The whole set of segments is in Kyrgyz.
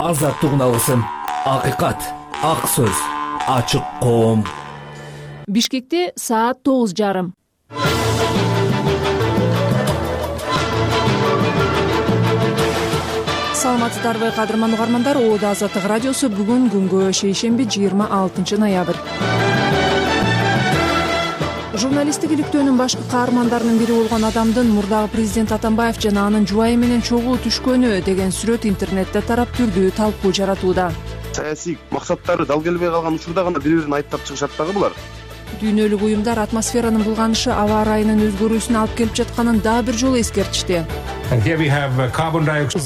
азаттык алсын, акыйкат, ак сөз, ачык коом. Бишкекте саат 9:30. Саламатсыздарбы кадырман угармандар, Оодо Азаттык радиосу бүгүн күнгө шейшемби 26 ноябрь. Журналисттик иликтөөнүн башкы каармандарынын бири болгон адамдын мурдагы президент Атамбаев жана анын жубайы менен чогуу түшкөнү деген сүрөт интернетте тарап түрдүү талкуу жаратууда. Саясий максаттары дал келбей калган учурда гана бири-бирин айыптап чыгышат дагы булар. Дүйнөлүк уюмдар атмосферанын булганышы аба ырайынын өзгөрүүсүнө алып келип жатканын дагы бир жолу эскертишти.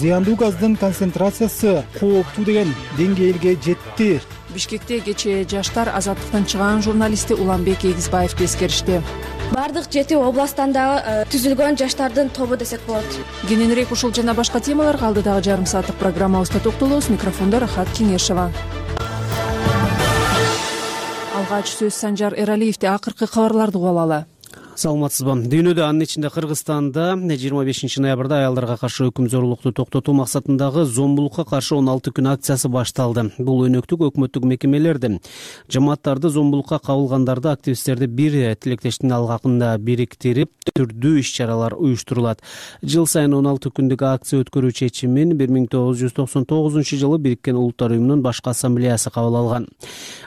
Зыяндуу газдын концентрациясы кооптуу деген деңгээлге жетти. Бишкекте кечээ жаштар азаттыктан чыгаан журналисти Уланбек Эгизбаевди эскеришти. Бардык 7 областтан дагы түзүлгөн жаштардын тобу десек болот. Кененирээк ушул жана башка темаларга алдыдагы жарым сааттык программабызда токтолобуз. Микрофондо Рахат Кеңешева. Алгач сөз Санжар Эралиевди. Акыркы кабарларды угуп алалы. Саламатсызбы. Дүйнөдө, анын ичинде Кыргызстанда 25 ноябрда аялдарга каршы өкүм зорлукту токтотуу максатындагы зомбулукка каршы 16 күн акциясы башталды. Бул өнөктүк өкмөттүк мекемелерди, жамааттарды, зомбулукка кабылгандарды, активисттерди бир тилектештиктин алгакында бириктирип, түрдүү иш-чаралар уюштурулат. Жыл сайын 16 күндүк акция өткөрүү чечимин 1999-жылы Бириккен Улуттар уюмунун башкы ассамблеясы кабыл алган.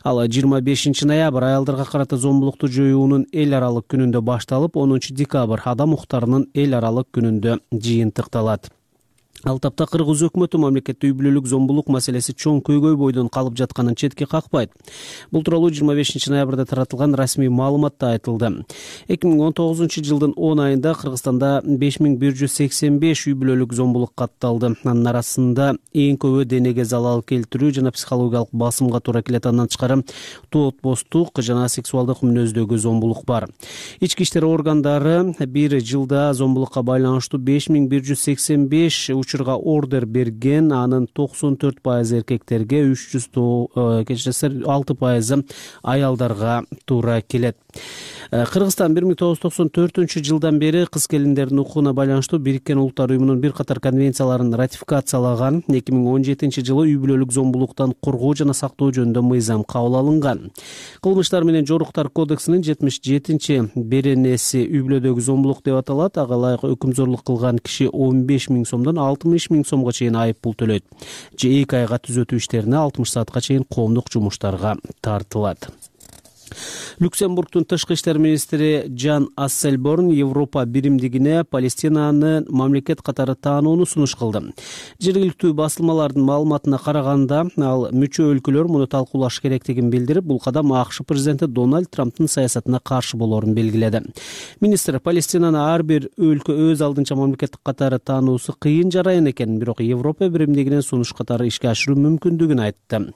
Ал 25 ноябрь аялдарга карата зомбулукту жоюунун эл аралык күнүндө башталып, 10 декабрь адам укуктарынын эл аралык күнүндө жыйынтыкталат. Ал тапта кыргыз өкмөтү мамлекетте үй бүлөлүк зомбулук маселеси чоң көйгөй бойдон калып жатканын четке какпайт. Бул тууралуу 25 ноябрда таратылган расмий маалыматта айтылды. 2019-жылдын 10 айында Кыргызстанда 5185 үй бүлөлүк зомбулук катталды. Анын арасында эң көбү денеге залал келтирүү жана психологиялык басымга туура келет. Андан тышкары тоотбостук жана сексуалдык мүнөздөгү зомбулук бар. Ички иштер органдары бир жылда зомбулукка байланыштуу 5185 учурга ордер берген, анын 94% эркектерге, 6% аялдарга туура келет. Кыргызстан 1994 жылдан бери кыз келиндердин укугуна байланыштуу Бириккен Улуттар уюмунун бир катар конвенцияларын ратификациялаган. 2017 жылы үй бүлөлүк зомбулуктан коргоо жана сактоо жөнүндө мыйзам кабыл алынган. Кылмыштар менен жоруктар кодексинин 77-беренеси үй бүлөдөгү зомбулук деп аталат. Ага ылайык өкүм зорлук кылган киши 15 000 сомдон 60 000 сомго чейин айып пул төлөйт. 2 айга түзөтүү иштерине 60 саатка чейин коомдук жумуштарга тартылат. Люксембургдун тышкы иштер министри Жан Ассельборн Европа биримдигине Палестинаны мамлекет катары таанууну сунуш кылды. Жергиликтүү басылмалардын маалыматына караганда, ал мүчө өлкөлөр муну талкуулаш керектигин билдирип, бул кадам АКШ президенти Дональд Трамптын саясатына каршы болоорун белгиледи. Министр Палестинаны ар бир өлкө өз алдынча мамлекет катары таануусу кыйын жарайын экенин, бирок Европа биримдигинен сунуш катары ишке ашыруу мүмкүндүгүн айтты.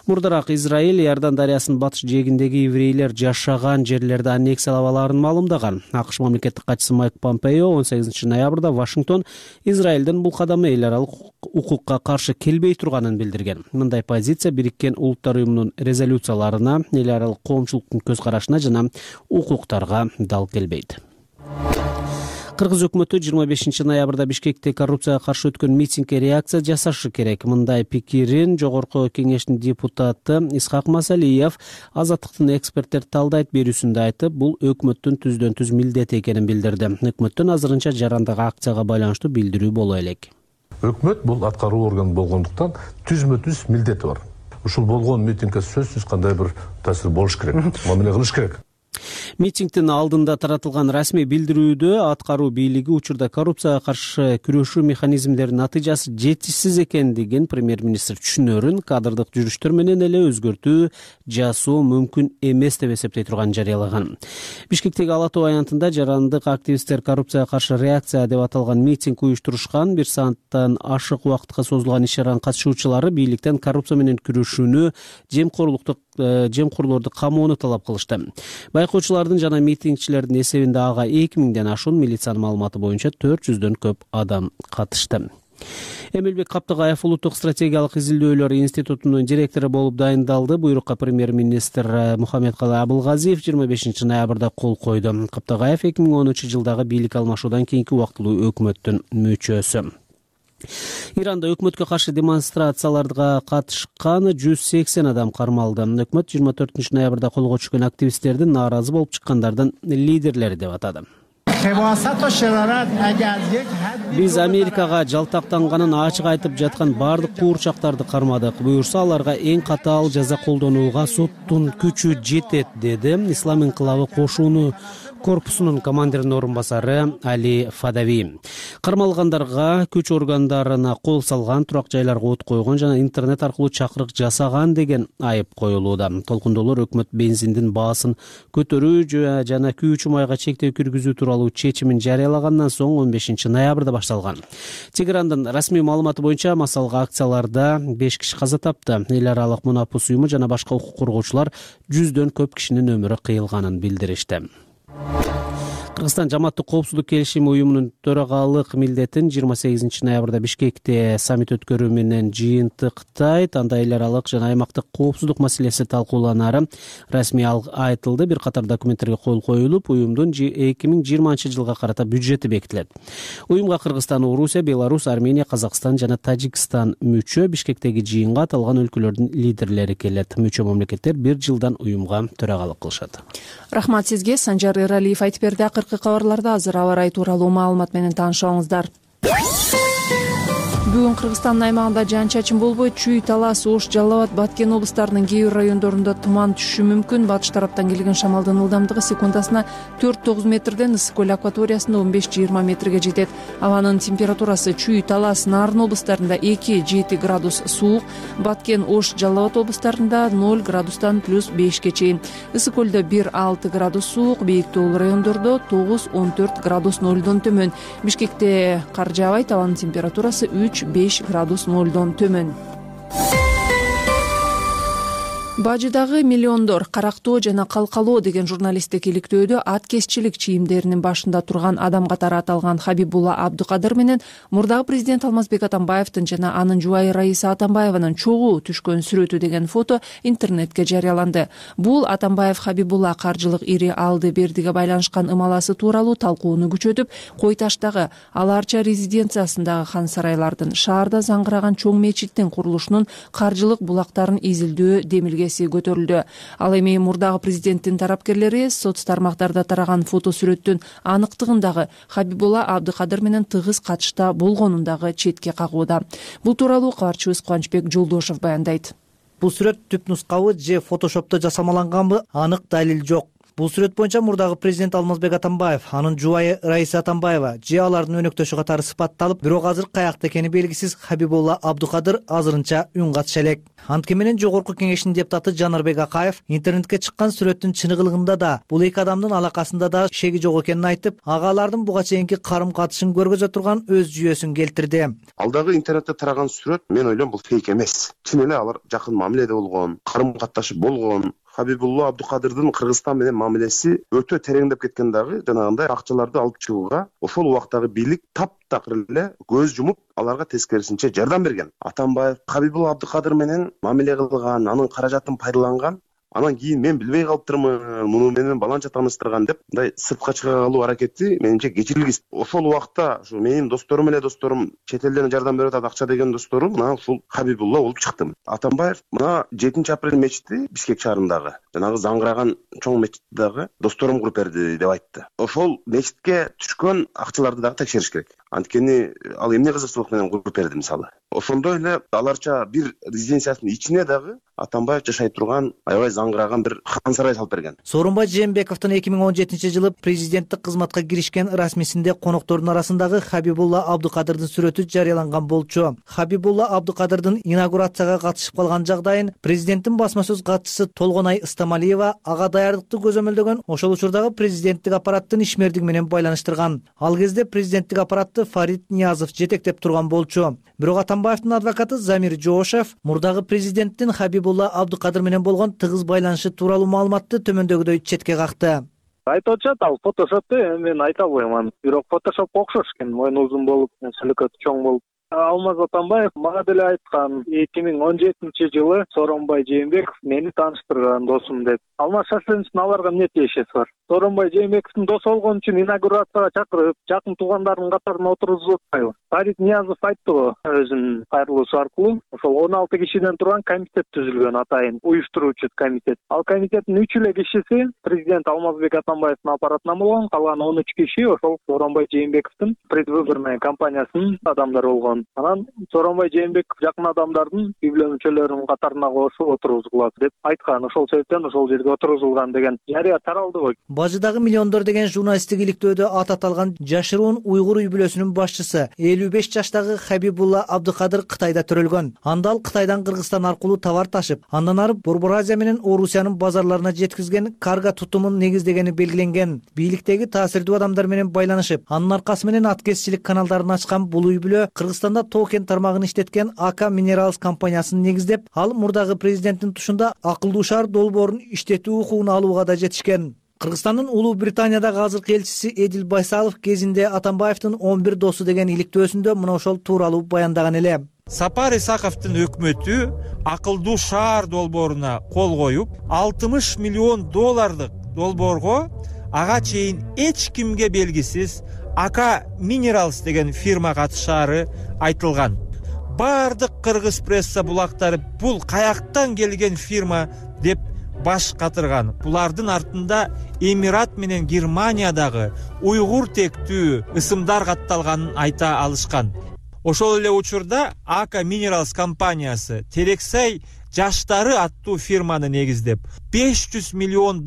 Мурдараак Израиль Иордан дарыясынын батыш жээгиндеги еврейлер жашаган жерлерди аннексиялап алаарын маалымдаган. АКШ мамлекеттик катчысы Майк Помпео 18 ноябрда Вашингтон Израилдин бул кадамы эл аралык укукка каршы келбей турганын билдирген. Мындай позиция Бириккен Улуттар уюмунун резолюцияларына, эл аралык коомчулуктун көз карашына жана укуктарга дал келбейт. Кыргыз өкмөтү 25 ноябрда Бишкекте коррупцияга каршы өткөн митингге реакция жасашы керек. Мындай пикирин жогорку кеңештин депутаты Исхак Масалиев Азаттыктын эксперттерди талдайт берүүсүндө айтып, бул өкмөттүн түздөн түз милдети экенин билдирди. Өкмөттүн азырынча жарандагы акцияга байланыштуу билдирүү боло элек. Өкмөт бул аткаруу орган болгондуктан түзмө-түз милдети бар. Ушул болгон митингге сөзсүз кандай бир таасир болуш керек, мамиле кылыш керек. Митингдин алдында таратылган расмий билдирүүдө аткаруу бийлиги учурда коррупцияга каршы күрөшүү механизмдеринин натыйжасы жетишсиз экендигин премьер-министр түшүнөрүн кадрдык жүрүштөр менен эле өзгөртүү жасоо мүмкүн эмес деп эсептей турганын жарыялаган. Бишкектеги Ала Тоо аянтында жарандык активисттер коррупцияга каршы реакция деп аталган митинг уюштурушкан. 1 сааттан ашык убакытка созулган иш-чаранын катышуучулары бийликтен коррупция менен күрөшүүнү, жемкорлорду камоону талап кылышты. Байкоочулардын жана митингчилердин эсебинде ага 2000ден ашуун милициянын маалыматы боюнча 400дөн көп адам катышты. Эмилбек Каптыгаев улуттук стратегиялык изилдөөлөр институтунун директору болуп дайындалды. Буйрукка премьер-министр Мухаммедкалый Абылгазиев 25 ноябрда кол койду. Каптыгаев 2010 жылдагы бийлик алмашуудан кийинки убактылуу өкмөттүн мүчөсү. Иранда өкмөткө каршы демонстрацияларга катышкан 180 адам кармалды. Өкмөт 24 ноябрда колго түшкөн активисттердин нааразы болуп чыккандардын лидерлери деп атады. Биз Америкага жалтактанганын ачык айтып жаткан бардык куурчактарды кармадык. Буюрса аларга эң катаал жаза колдонууга соттун күчү жетет, деди Ислам инкылабы кошууну корпусунун командиринин орун басары Али Фадави. Кармалгандарга күч органдарына кол салган, турак жайларга от койгон жана интернет аркылуу чакырык жасаган деген айып коюлууда. Толкундоолор өкмөт бензиндин баасын көтөрүү жана күйүүчү майга чектөө киргизүү тууралуу чечимин жарыялагандан соң 15 ноябрда башталган. Тегерандын расмий маалыматы боюнча массалык акцияларда 5 киши каза тапты. Эл аралык мунапус уюму жана башка укук коргоочулар 100дөн көп кишинин өмүрү кыйылганын билдиришти. Кыргызстан жамааттык коопсуздук келишими уюмунун төрагалык милдетин 28 ноябрда Бишкекте саммит өткөрүү менен жыйынтыктайт. Анда эл аралык жана аймактык коопсуздук маселеси талкууланары расмий айтылды. Бир катар документтерге кол коюлуп, уюмдун 2020-жылга карата бюджети бекитилет. Уюмга Кыргызстан, Орусия, Беларусь, Армения, Казакстан жана Тажикстан мүчө. Бишкектеги жыйынга аталган өлкөлөрдүн лидерлери келет. Мүчө мамлекеттер 1 жылдан уюмга төрагалык кылышат. Рахмат сизге. Санжар Эралиев айтып берди. Акыркы кабарларда азыр аба ырайы тууралуу маалымат менен таанышыңыздар. Бүгүн Кыргызстандын аймагында жаан-чачын болбойт. Чүй, Талас, Ош, Жалал Абад, Баткен облустарынын кээ бир райондорунда туман түшүшү мүмкүн. Батыш тараптан келген шамалдын ылдамдыгы секундасына 4-9 метрден ысык көл акваториясында 15-20 метрге жетет. Абанын температурасы Чүй, Талас, Нарын облустарында 2-7 градус суук, Баткен, Ош, Жалал Абад облустарында 0 градустан +5 чейин. Ысык көлдө 1-6 градус суук, бийик тоолуу райондордо 9-14 градус 0дон төмөн. Бишкекте кар жаабайт, абанын температурасы 3-5 градус 0дон төмөн. Бажыдагы миллиондор карактоо жана калкалоо деген журналисттик иликтөөдө ат кесчилик чийимдеринин башында турган адам катары аталган Хабибулла Абдукадыр менен мурдагы президент Алмазбек Атамбаевдин жана анын жубайы Раиса Атамбаеванын чогуу түшкөн сүрөтү деген фото интернетке жарыяланды. Бул Атамбаев Хабибулла каржылык ири алды бердиге байланышкан ымаласы тууралуу талкууну күчөтүп, Кой Таштагы Аларча резиденциясындагы хан сарайлардын, шаарда заңгыраган чоң мечиттин курулушунун каржылык булактарын изилдөө демилге көтөрүлдү. Ал эми мурдагы президенттин тарапкерлери соц тармактарда тараган фото сүрөттүн аныктыгындагы Хабибулла Абдукадыр менен тыгыз катышта болгонундагы четке кагууда. Бул тууралуу кабарчыбыз Кубанычбек Жолдошов баяндайт. Бул сүрөт түп нускабы же фотошопто жасамаланганбы анык далил жок. Бул сүрөт боюнча мурдагы президент Алмазбек Атамбаев, анын жубайы Раиса Атамбаева же алардын өнөктөшү катары сыпатталып, бирок азыр каякта экени белгисиз Хабибулла Абдукадыр азырынча үн катыша элек. Анткени менен Жогорку Кеңештин депутаты Жанарбек Акаев интернетке чыккан сүрөттүн чыныгылыгында да, бул эки адамдын алакасында да шеги жок экенин айтып, агалардын буга чейинки карым-катышын көргөзө турган өз жүйөсүн келтирди. Алдагы интернетте тараган сүрөт мен ойлойм бул фейк эмес. Чын эле алар жакын мамиледе болгон, карым-катташып болгон. Хабибулла Абдукадырдын Кыргызстан менен мамилеси өтө тереңдеп кеткен дагы, жанагындай акчаларды алып чыгууга ошол убактагы бийлик таптакыр эле көз жумуп, аларга тескерисинче жардам берген. Атамбаев Хабибулла Абдукадыр менен мамиле кылган, анын каражатын пайдаланган, анан кийин мен билбей калыптырмын, муну менен баланча тааныштырган деп мындай сыртка чыга калуу аракети менимче кечирилгис. Ошол убакта ушу менин досторум эле досторум, чет элден жардам берип атат акча деген досторум, мына ушул Хабибулла болуп чыктым. Атамбаев мына 7-апрель мечити Бишкек шаарындагы жанагы заңгыраган чоң мечиттеги досторум куруп берди деп айтты. Ошол мечитке түшкөн акчаларды дагы текшериш керек. Анткени ал эмне кызыкчылык менен куруп берди мисалы. Ошондой эле Аларча бир резиденциясынын ичине дагы Атамбаев жашай турган аябай заңгыраган бир хан сарай салып берген. Сооронбай Жээнбековдун 2017-жылы президенттик кызматка киришкен расмисинде коноктордун арасындагы Хабибулла Абдукадырдын сүрөтү жарыяланган болчу. Хабибулла Абдукадырдын инаугурацияга катышып калган жагдайын президенттин басма сөз катчысы Толгонай Ыстамалиева ага даярдыкты көзөмөлдөгөн, ошол учурдагы президенттик аппараттын ишмердиги менен байланыштырган. Ал кезде президенттик аппаратты Фарид Ниязов жетектеп турган болчу. Бирок Атамбаевдин адвокаты Замир Жоошев мурдагы президенттин Хабибулла Абдукадыр менен болгон тыгыз байланышы тууралуу маалыматты төмөндөгүдөй четке какты. Айтып атышат, ал фотошопты мен айта албайм. Бирок фотошопко окшош экен, мойну узун болуп, сөлөкөтү чоң болуп. Алмаз Атамбаев мага деле айткан 2017-жылы Сооронбай Жээнбеков мени тааныштырган досум деп. Алмаз Шашлыновичтин аларга эмне тиешеси бар? Сооронбай Жээнбековдун досу болгон үчүн инаугурацияга чакырып, жакын туугандарынын катарына отыргузуп атпайбы? Фарид Ниязов айттыбы өзүнүн кайрылуусу аркылуу, ошол 16 кишиден турган комитет түзүлгөн, атайын уюштуруучу комитет. Ал комитеттин 3 эле кишиси президент Алмазбек Атамбаевдин аппаратынан болгон, калган 13 киши ошол Сооронбай Жээнбековдун предвыборный кампаниясынын адамдары болгон. Анан Сооронбай Жээнбеков жакын адамдардын үй бүлө мүчөлөрүнүн катарына кошуп отургузулат деп айткан. Ошол себептен ошол жерге отургузулган деген жарыя таралдыбы? Бажыдагы миллиондор деген журналисттик иликтөөдө ат аталган жашыруун уйгур үй бүлөсүнүн башчысы 55 жаштагы Хабибулла Абдыкадыр Кытайда төрөлгөн. Анда ал Кытайдан Кыргызстан аркылуу товар ташып, андан ары Борбор Азия менен Орусиянын базарларына жеткизген карго тутумун негиздегени белгиленген. Бийликтеги таасирдүү адамдар менен байланышып, анын аркасы менен аткезчилик каналдарын ачкан бул үй бүлө Кыргызстанда токен тармагын иштеткен АК Minerals компаниясын негиздеп, ал мурдагы президенттин тушунда акылдуу шаар долбоорун иштетүү укугун алууга да жетишкен. Кыргызстандын Улуу Британиядагы азыркы элчиси Эдил Байсалов кезинде Атамбаевдин 11 досу деген иликтөөсүндө мына ошол тууралуу баяндаган эле. Сапар Исаковдун өкмөтү акылдуу шаар долбооруна кол коюп, $60 миллион долбоорго ага чейин эч кимге белгисиз АК Minerals деген фирма катышаары айтылган. Бардык кыргыз пресса булактары бул каяктан келген фирма деп баш катырган. Булардын артында Эмират менен Германиядагы уйгур тектүү ысымдар катталганын айта алышкан. Ошол эле учурда АК Minerals компаниясы Терексай жаштары аттуу фирманы негиздеп, $500 миллион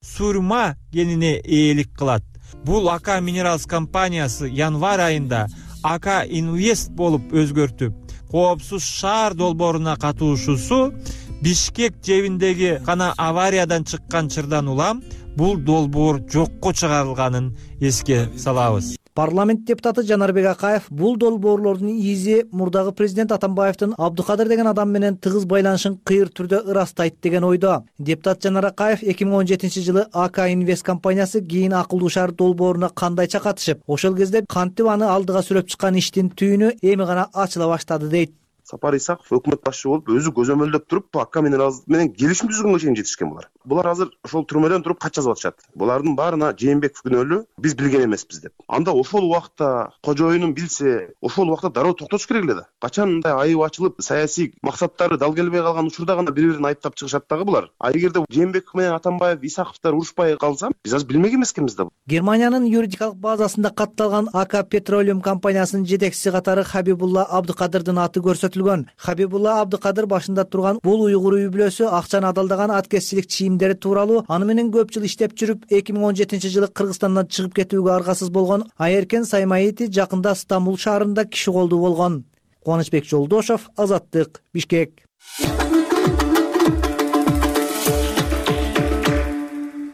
сурма генине ээлик кылат. Бул АК Minerals компаниясы январь айында АК Инвест болуп өзгөртүп, коопсуз шаар долбооруна катышуусу Бишкек жебиндеги гана авариядан чыккан чырдан улам бул долбоор жокко чыгарылганын эске салабыз. Парламент депутаты Жанарбек Акаев бул долбоорлордун изи мурдагы президент Атамбаевдин Абдыкадыр деген адам менен тыгыз байланышын кыйыр түрдө ырастайт деген ойдо. Депутат Жанар Акаев 2017-жылы АК Инвест компаниясы кийин акылдуу шаар долбооруна кандайча катышып, ошол кезде кантип аны алдыга сүрөп чыккан иштин түйүнү эми гана ачыла баштады дейт. Сапар Исаков өкмөт башчы болуп өзү көзөмөлдөп туруп АК Minerals менен келишим түзгөнгө чейин жетишкен булар. Булар азыр ошол түрмөдөн туруп кат жазып атышат. Булардын баарына Жээнбеков күнөөлүү, биз билген эмеспиз деп. Анда ошол убакта кожоюнун билсе, ошол убакта дароо токтотуш керек эле да. Качан мындай айып ачылып, саясий максаттары дал келбей калган учурда гана бири-бирин айыптап чыгышат дагы булар. А эгерде Жээнбеков менен Атамбаев, Исаковдор урушпай калса, биз азыр билмек эмескенбиз да. Германиянын юридикалык базасында катталган АК Petroleum компаниясынын жетекчиси катары Хабибулла Абдыкадырдын аты көрсөтүлгөн. Хабибулла Абдыкадыр башында турган бул уйгур үй бүлөсү акчаны адалдаган аткезчилик чийимдери тууралуу аны менен көп жыл иштеп жүрүп 2017-жылы Кыргызстандан чыгып кетүүгө аргасыз болгон Айеркен Саймаити жакында Стамбул шаарында киши колдуу болгон. Кубанычбек Жолдошов, Азаттык, Бишкек.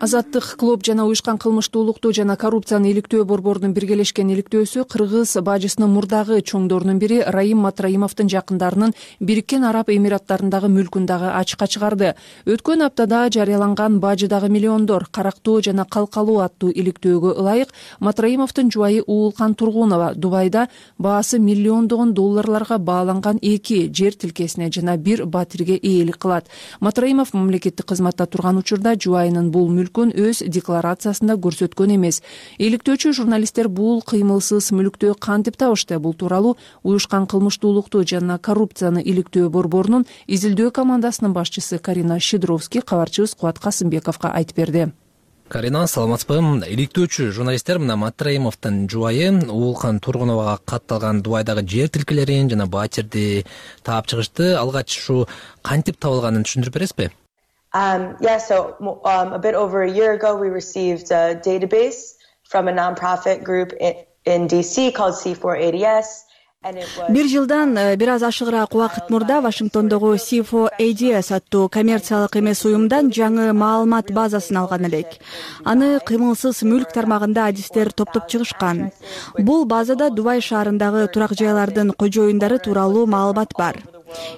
Азаттык клуб жана уюшкан кылмыштуулукту жана коррупцияны иликтөө борборунун биргелешкен иликтөөсү кыргыз бажысынын мурдагы чоңдорунун бири Раим Матраимовдун жакындарынын Бириккен Араб Эмираттарындагы мүлкүн дагы ачыкка чыгарды. Өткөн аптада жарыяланган бажыдагы миллиондор карактоо жана калкалоо аттуу иликтөөгө ылайык Матраимовдун жубайы Уулкан Тургунова Дубайда баасы миллиондогон долларларга бааланган 2 жер тилкесине жана 1 батирге ээлик кылат. Матраимов мамлекеттик кызматта турган учурда жубайынын бул өз декларациясында көрсөткөн эмес. Иликтөөчү журналисттер бул кыймылсыз мүлктү кантип табышты? Бул тууралуу уюшкан кылмыштуулукту жана коррупцияны иликтөө борборунун изилдөө командасынын башчысы Карина Щедровский кабарчыбыз Кубат Касымбековго айтып берди. Карина, саламатсызбы? Иликтөөчү журналисттер мына Матраимовдун жубайы Уулкан Тургуновага катталган Дубайдагы жер тилкелерин жана батирди таап чыгышты. Алгач ушу кантип табылганын түшүндүрүп бересизби? So a bit over a year ago, we received a database from a nonprofit group in DC called C4ADS. Бир жылдан бир аз ашыгыраак убакыт мурда Вашингтондогу C4ADS аттуу коммерциялык эмес уюмдан жаңы маалымат базасын алган элек. Аны кыймылсыз мүлк тармагында адистер топтоп чыгышкан. Бул базада Дубай шаарындагы турак жайлардын кожоюндары тууралуу маалымат бар.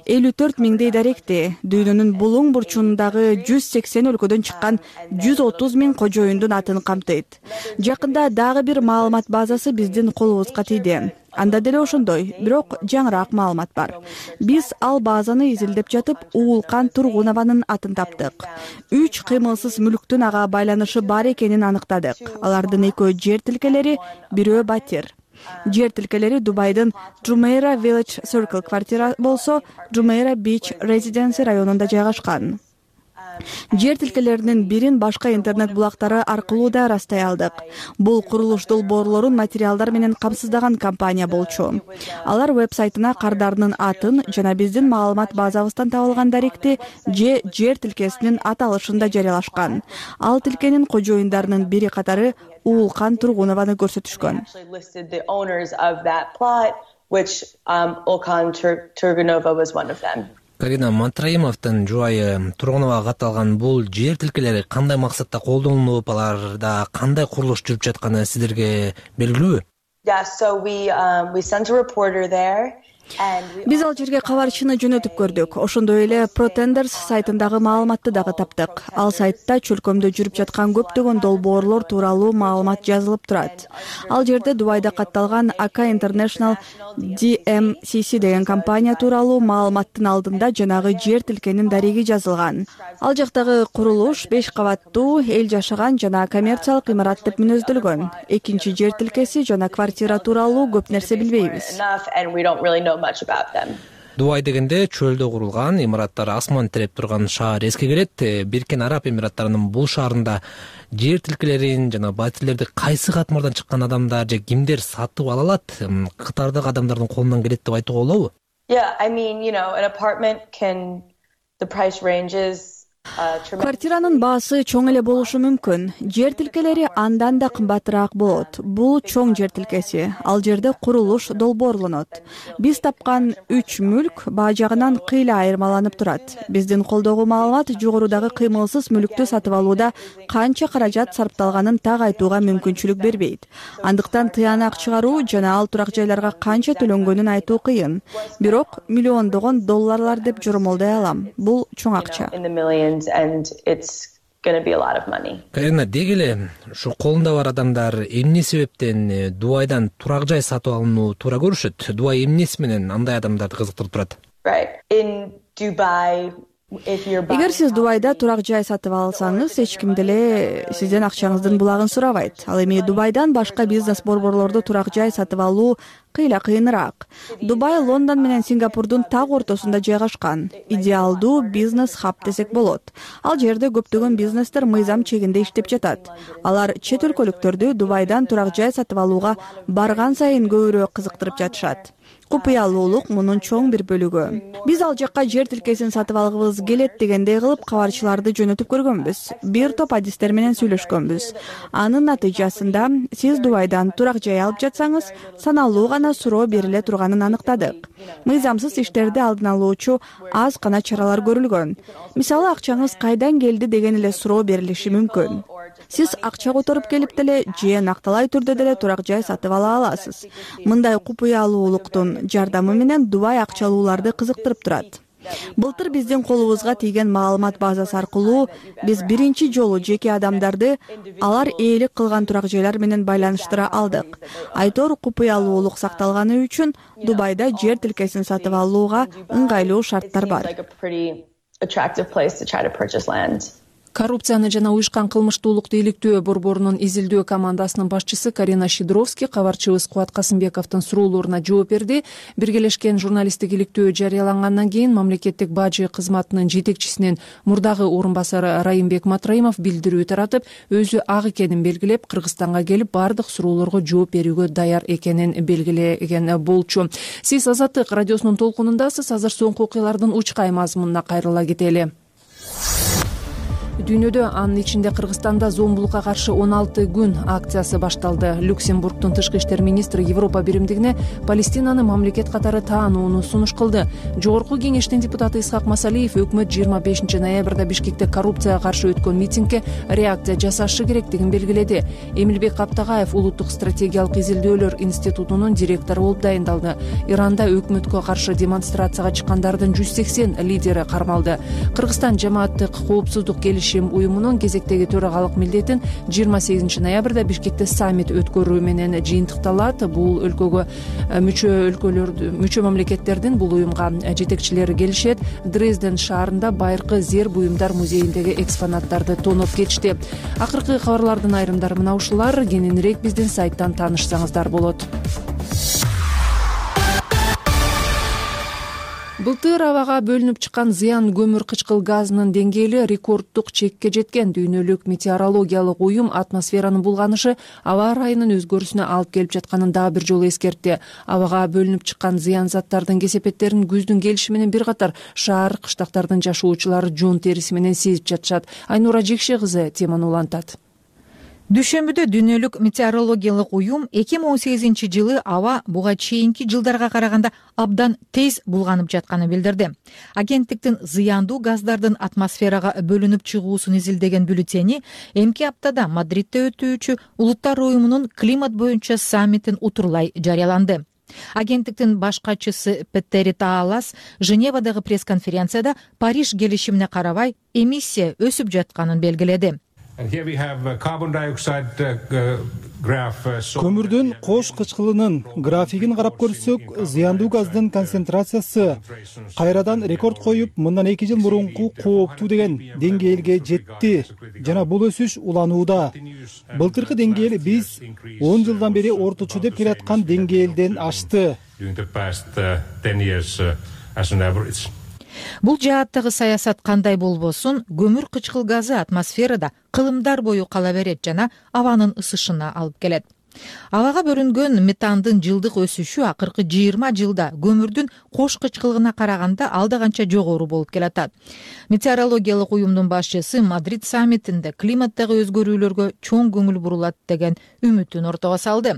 54 миңдей даректи, дүйнөнүн булуң бурчундагы 180 өлкөдөн чыккан 130 миң кожоюндун атын камтыйт. Жакында дагы бир маалымат базасы биздин колубузга тийди. Анда деле ошондой, бирок жаңыраак маалымат бар. Биз ал базаны изилдеп жатып, Уулкан Тургунованын атын таптык. 3 кыймылсыз мүлктүн ага байланышы бар экенин аныктадык. Алардын экөө жер тилкелери, бирөө батир. Жер тилкелери Дубайдын Jumeirah Village Circle квартира болсо, Jumeirah Beach Residency районунда жайгашкан. Жер тилкелеринин бирин башка интернет булактары аркылуу да растай алдык. Бул курулуш долбоорлорун материалдар менен камсыздаган компания болчу. Алар веб-сайтына кардарынын атын жана биздин маалымат базабыздан табылган даректи же жер тилкесинин аталышын да жарыялашкан. Ал тилкенин кожоюндарынын бири катары Уулкан Тургунованы көрсөтүшкөн. Карина Матраимовдун жубайы Тургуновага катталган бул жер тилкелери кандай максатта колдонулуп, аларда кандай курулуш жүрүп жатканы сиздерге белгилүүбү? Биз ал жерге кабарчыны жөнөтүп көрдүк. Ошондой эле Protenders сайтындагы маалыматты дагы таптык. Ал сайтта чөлкөмдө жүрүп жаткан көптөгөн долбоорлор тууралуу маалымат жазылып турат. Ал жерде Дубайда катталган AK International DMCC деген компания тууралуу маалыматтын алдында жанагы жер тилкенин дареги жазылган. Ал жактагы курулуш 5 кабаттуу, эл жашаган жана коммерциялык имарат деп мүнөздөлгөн. Экинчи жер тилкеси жана квартира тууралуу көп нерсе билбейбиз. Дубай дегенде чөлдө курулган, имараттар асман тиреп турган шаар эске келет. Бириккен Араб Эмираттарынын бул шаарында жер тилкелерин жана батирлерди кайсы катмардан чыккан адамдар же кимдер сатып ала алат? Катардагы адамдардын колунан келет деп айтууга болобу? Квартиранын баасы чоң эле болушу мүмкүн. Жер тилкелери андан да кымбатыраак болот. Бул чоң жер тилкеси. Ал жерде курулуш долбоорлонот. Биз тапкан 3 мүлк баа жагынан кыйла айырмаланып турат. Биздин колдогу маалымат жогорудагы кыймылсыз мүлктү сатып алууда канча каражат сарпталганын так айтууга мүмкүнчүлүк бербейт. Андыктан тыянак чыгаруу жана ал турак жайларга канча төлөнгөнүн айтуу кыйын. Бирок миллиондогон долларлар деп жормолдой алам. Бул чоң акча. Карина, деги эле ушу колунда бар адамдар эмне себептен Дубайдан турак жай сатып алууну туура көрүшөт? Дубай эмнеси менен андай адамдарды кызыктырып турат? Эгер сиз Дубайда турак жай сатып алсаңыз, эч ким деле сизден акчаңыздын булагын сурабайт. Ал эми Дубайдан башка бизнес борборлордо турак жай сатып алуу кыйла кыйыныраак. Дубай Лондон менен Сингапурдун так ортосунда жайгашкан. Идеалдуу бизнес хаб десек болот. Ал жерде көптөгөн бизнестер мыйзам чегинде иштеп жатат. Алар чет өлкөлүктөрдү Дубайдан турак жай сатып алууга барган сайын көбүрөөк кызыктырып жатышат. Купуялуулук мунун чоң бир бөлүгү. Биз ал жакка жер тилкесин сатып алгыбыз келет дегендей кылып кабарчыларды жөнөтүп көргөнбүз. Бир топ адистер менен сүйлөшкөнбүз. Анын натыйжасында сиз Дубайдан турак жай алып жатсаңыз, саналуу гана суроо бериле турганын аныктадык. Мыйзамсыз иштерди алдын алуучу аз гана чаралар көрүлгөн. Мисалы, акчаңыз кайдан келди деген эле суроо берилиши мүмкүн. Сиз акча которуп келип деле же накталай түрдө деле турак жай сатып ала аласыз. Мындай купуялуулуктун жардамы менен Дубай акчалууларды кызыктырып турат. Былтыр биздин колубузга тийген маалымат базасы аркылуу биз биринчи жолу жеке адамдарды алар ээлик кылган турак жайлар менен байланыштыра алдык. Айтор купуялуулук сакталганы үчүн Дубайда жер тилкесин сатып алууга ыңгайлуу шарттар бар. Коррупцияны жана уюшкан кылмыштуулукту иликтөө борборунун изилдөө командасынын башчысы Карина Шидровский кабарчыбыз Кубат Касымбековдун суроолоруна жооп берди. Биргелешкен журналисттик иликтөө жарыялангандан кийин мамлекеттик бажы кызматынын жетекчисинин мурдагы орун басары Райымбек Матраимов билдирүү таратып, өзү ак экенин белгилеп, Кыргызстанга келип бардык суроолорго жооп берүүгө даяр экенин белгилеген болчу. Сиз Азаттык радиосунун толкунундасыз. Азыр соңку окуялардын учкай мазмунуна кайрыла кетели. Дүйнөдө, анын ичинде Кыргызстанда зомбулукка каршы 16 күн акциясы башталды. Люксембургдун тышкы иштер министри Европа биримдигине Палестинаны мамлекет катары таанууну сунуш кылды. Жогорку кеңештин депутаты Исхак Масалиев өкмөт 25 ноябрда Бишкекте коррупцияга каршы өткөн митингге реакция жасашы керектигин белгиледи. Эмилбек Каптагаев улуттук стратегиялык изилдөөлөр институтунун директору болуп дайындалды. Иранда өкмөткө каршы демонстрацияга чыккандардын 180 лидери кармалды. Кыргызстан жамааттык коопсуздук келишими келишим уюмунун кезектеги төрагалык милдетин 28 ноябрда Бишкекте саммит өткөрүү менен жыйынтыкталат. Бул өлкөгө мүчө мамлекеттердин бул уюмга жетекчилери келишет. Дрезден шаарында байыркы зер буюмдар музейиндеги экспонаттарды тоноп кетишти. Акыркы кабарлардын айрымдары мына ушулар. Кененирээк биздин сайттан таанышсаңыздар болот. Былтыр абага бөлүнүп чыккан зыян көмүр кычкыл газынын деңгээли рекорддук чекке жеткен. Дүйнөлүк метеорологиялык уюм атмосферанын булганышы аба ырайынын өзгөрүүсүнө алып келип жатканын дагы бир жолу эскертти. Абага бөлүнүп чыккан зыян заттардын кесепеттерин күздүн келиши менен бир катар шаар кыштактардын жашоочулары жон териси менен сезип жатышат. Айнура Жекше кызы теманы улантат. Дүйшөмбүдө дүйнөлүк метеорологиялык уюм 2018 жылы аба буга чейинки жылдарга караганда абдан тез булганып жатканын билдирди. Агенттиктин зыяндуу газдардын атмосферага бөлүнүп чыгуусун изилдеген бюллетени эмки аптада Мадридде өтүүчү Улуттар уюмунун климат боюнча саммитин утурлай жарыяланды. Агенттиктин баш катчысы Петтери Таалас Женевадагы пресс-конференцияда Париж келишимине карабай эмиссия өсүп жатканын белгиледи. Көмүрдүн кош кычкылынын графигин карап көрсөк, зыяндуу газдын концентрациясы кайрадан рекорд коюп, мындан 2 жыл мурунку кооптуу деген деңгээлге жетти жана бул өсүш уланууда. Былтыркы деңгээл биз 10 жылдан бери орточо деп келаткан деңгээлден ашты. Бул жааттагы саясат кандай болбосун, көмүр кычкыл газы атмосферада кылымдар бою кала берет жана абанын ысышына алып келет. Абага бөлүнгөн метандын жылдык өсүшү акыркы 20 жылда көмүрдүн кош кычкылыгына караганда алда канча жогору болуп келатат. Метеорологиялык уюмдун башчысы Мадрид саммитинде климаттагы өзгөрүүлөргө чоң көңүл бурулат деген үмүтүн ортого салды.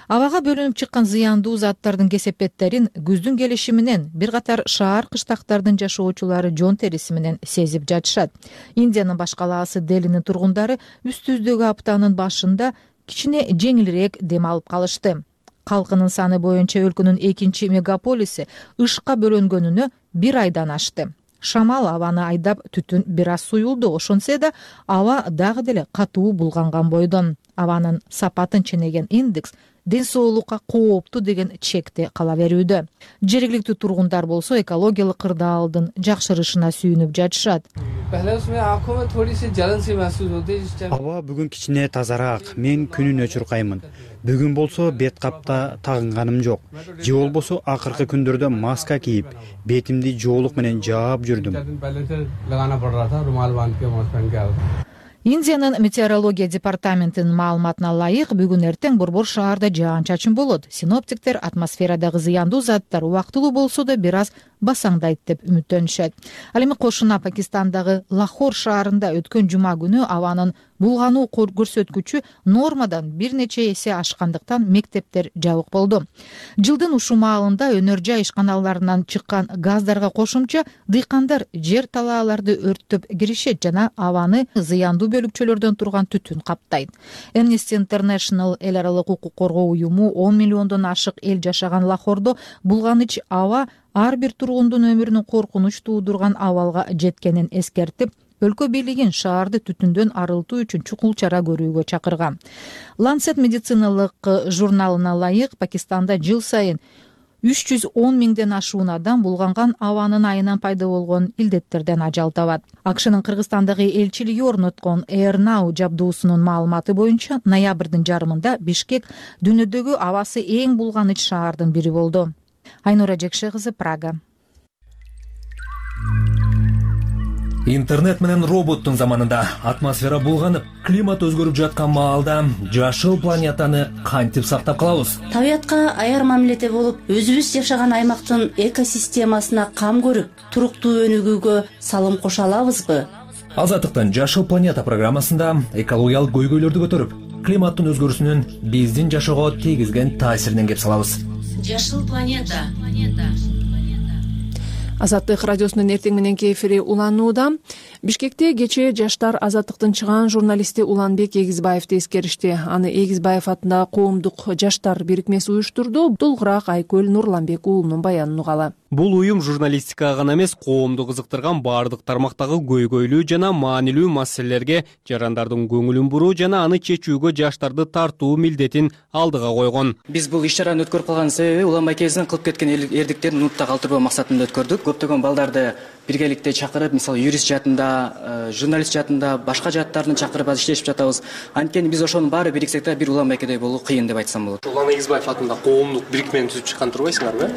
Абага бөлүнүп чыккан зыяндуу заттардын кесепеттерин күздүн келиши менен бир катар шаар кыштактардын жашоочулары жон териси менен сезип жатышат. Индиянын баш калаасы Делинин тургундары үстүздөгү аптанын башында кичине жеңилирээк дем алып калышты. Калкынын саны боюнча өлкөнүн экинчи мегаполиси ышка бөлөнгөнүнө 1 айдан ашты. Шамал абаны айдап түтүн бир аз суюлду, ошонсе да аба дагы деле катуу булганган бойдон. Абанын сапатын ченеген индекс ден соолукка кооптуу деген чекте кала берүүдө. Жергиликтүү тургундар болсо экологиялык кырдаалдын жакшырышына сүйүнүп жатышат. Аба бүгүн кичине тазараак, мен күнүнө чуркаймын. Бүгүн болсо бет капта тагынганым жок. Же болбосо акыркы күндөрдө маска кийип, бетимди жоолук менен жаап жүрдүм. Индиянын метеорология департаментинин маалыматына ылайык, бүгүн эртең борбор шаарда жаан-чачын болот. Синоптиктер атмосферадагы зыяндуу заттар убактылуу болсо да бир аз басаңдайт деп үмүттөнүшөт. Ал эми кошуна Пакистандагы Лахор шаарында өткөн жума күнү абанын булгануу көрсөткүчү нормадан бир нече эсе ашкандыктан мектептер жабык болду. Жылдын ушул маалында өнөр жай ишканаларынан чыккан газдарга кошумча дыйкандар жер талааларды өрттөп киришет жана абаны зыяндуу бөлүкчөлөрдөн турган түтүн каптайт. Amnesty International эл аралык укук коргоо уюму 10 миллиондон ашык эл жашаган Лахордо булганыч аба ар бир тургундун өмүрүнүн коркунуч туудурган абалга жеткенин эскертип, өлкө бийлигин шаарды түтүндөн арылтуу үчүн чукул чара көрүүгө чакырган. Lancet медициналык журналына ылайык, Пакистанда жыл сайын 310 миңден ашуун адам булганган абанын айынан пайда болгон илдеттерден ажал табат. АКШнын Кыргызстандагы элчилиги орноткон AirNow жабдуусунун маалыматы боюнча ноябрдын жарымында Бишкек дүйнөдөгү абасы эң булганыч шаардын бири болду. Айнура Жекше кызы, Прага. Интернет менен роботтун заманында атмосфера булганып, климат өзгөрүп жаткан маалда жашыл планетаны кантип сактап калабыз? Табиятка аяр мамиледе болуп, өзүбүз жашаган аймактын экосистемасына кам көрүп, туруктуу өнүгүүгө салым кошо алабызбы? Азаттыктын Жашыл планета программасында экологиялык көйгөйлөрдү көтөрүп, климаттын өзгөрүүсүнүн биздин жашоого тийгизген таасиринен кеп салабыз. Жашыл планета. Азаттык радиосунун эртең мененки эфири уланууда. Бишкекте кечээ Жаштар азаттыктын чыгаан журналисти Уланбек Эгизбаевди эскеришти. Аны Эгизбаев атындагы коомдук жаштар бирикмеси уюштурду. Толугураак Айкөл Нурланбек уулунун баянын угалы. Бул уюм журналистикага гана эмес, коомду кызыктырган баардык тармактагы көйгөйлүү жана маанилүү маселелерге жарандардын көңүлүн буруу жана аны чечүүгө жаштарды тартуу милдетин алдыга койгон. Биз бул иш-чараны өткөрүп калган себеби Уланбек Эгиздин кылып кеткен эрдиктерин нутта калтырбоо максатында өткөрдүк. Көптөгөн балдарды биргеликте чакырып, мисалы юрист жаатында, журналист жаатында, башка жааттарды чакырып иштешип жатабыз. Анткени биз ошонун баары бириксек да бир Уланбекедей болуу кыйын деп айтсам болот. Улан Эгизбаев атындагы коомдук бирикмени түзүп чыккан турбайсыңарбы?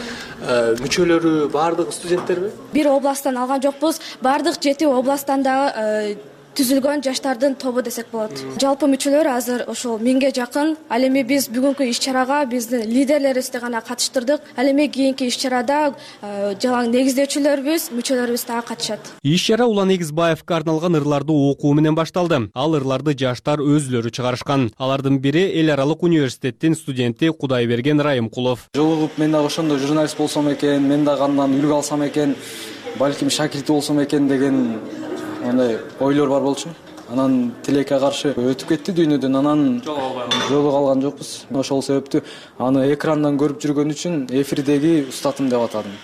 Мүчөлөрү баардыгы студенттерби? Бир областтан алган жокпуз. Баардык 7 областтан дагы түзүлгөн жаштардын тобу десек болот. Жалпы мүчөлөр азыр ошол 1000ге жакын. Ал эми биз бүгүнкү иш-чарага биздин лидерлерибизди гана катыштырдык. Ал эми кийинки иш-чарада жалаң негиздөөчүлөрүбүз, мүчөлөрүбүз дагы катышат. Иш-чара Улан Эгизбаевке арналган ырларды окуу менен башталды. Ал ырларды жаштар өзлөрү чыгарышкан. Алардын бири Эл аралык университеттин студенти Кудайберген Райымкулов. Жолугуп мен дагы ошондой журналист болсом экен, мен дагы андан үлгү алсам экен, балким шакирти болсом экен деген андай ойлор бар болчу. Анан тилекке каршы өтүп кетти дүйнөдөн, анан жолуга алган жокпуз. Ошол себептүү аны экрандан көрүп жүргөн үчүн эфирдеги устатым деп атадым.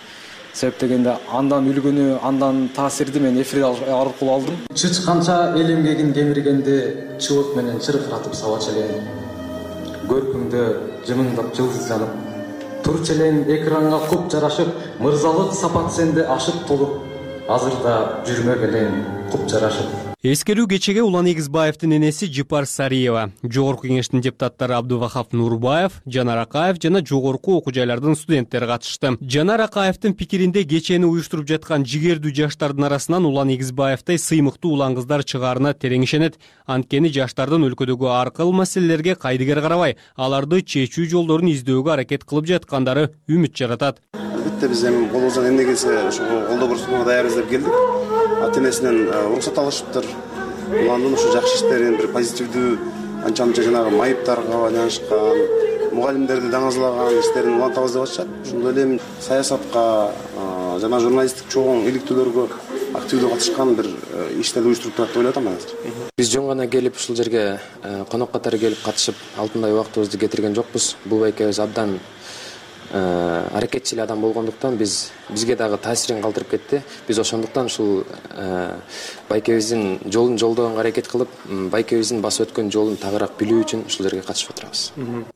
Себеп дегенде андан үлгүнү, андан таасирди мен эфир аркылуу алдым. Чычканча эл эмгегин кемиргенде чыбык менен чыркыратып сабачу элем. Көркүңдө жымыңдап жылдыз жанып, турчу элем экранга куп жарашып, мырзалык сапат сенде ашып толуп, азырда жүрмөк элем куп жарашып. Эскерүү кечеге Улан Эгизбаевдин энеси Жипар Сариева, Жогорку кеңештин депутаттары Абдувахап Нурбаев, Жанар Акаев жана жогорку окуу жайлардын студенттери катышты. Жанар Акаевдин пикиринде кечени уюштуруп жаткан жигердүү жаштардын арасынан Улан Эгизбаевдей сыймыктуу улан кыздар чыгаарына терең ишенет. Анткени жаштардын өлкөдөгү ар кыл маселелерге кайдыгер карабай, аларды чечүү жолдорун издөөгө аракет кылып жаткандары үмүт жаратат. Албетте биз эми колубуздан эмне келсе ошого колдоо көрсөтүүгө даярбыз деп келдик. Ата-энесинен уруксат алышыптыр. Уландын ушу жакшы иштерин бир позитивдүү анча-мынча жанагы майыптарга байланышкан, мугалимдерди даңазалаган иштерин улантабыз деп атышат. Ошондой эле саясатка жана журналисттик чогуу иликтүүлөргө активдүү катышкан бир иштерди уюштуруп турат деп ойлоп атам азыр. Биз жөн гана келип ушул жерге конок катары келип катышып, алтындай убактыбызды кетирген жокпуз. Бул байкебиз абдан аракетчил адам болгондуктан бизге дагы таасирин калтырып кетти. Биз ошондуктан ушул байкебиздин жолун жолдогонго аракет кылып, байкебиздин басып өткөн жолун тагыраак билүү үчүн ушул жерге катышып отурабыз.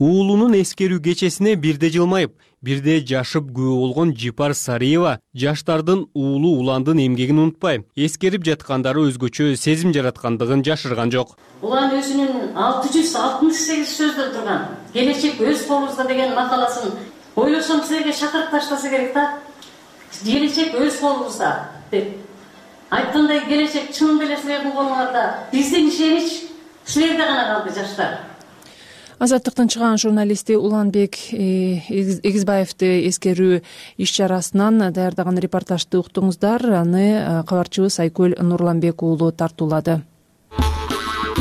Уулунун эскерүү кечесине бирде жылмайып, бирде жашып күбө болгон Жипар Сариева жаштардын уулу уландын эмгегин унутпай, эскерип жаткандары өзгөчө сезим жараткандыгын жашырган жок. Улан өзүнүн 668 сөздөр турган келечек өз колубузда деген макаласын ойлосом силерге шакырып таштаса керек да. Келечек өз колубузда деп айткандай, келечек чын эле силердин колуңарда. Биздин ишенич силерде гана калды, жаштар. Азаттыктын чыгаан журналисти Уланбек Эгизбаевди эскерүү иш-чарасынан даярдаган репортажды уктуңуздар. Аны кабарчыбыз Айкөл Нурланбек уулу тартуулады.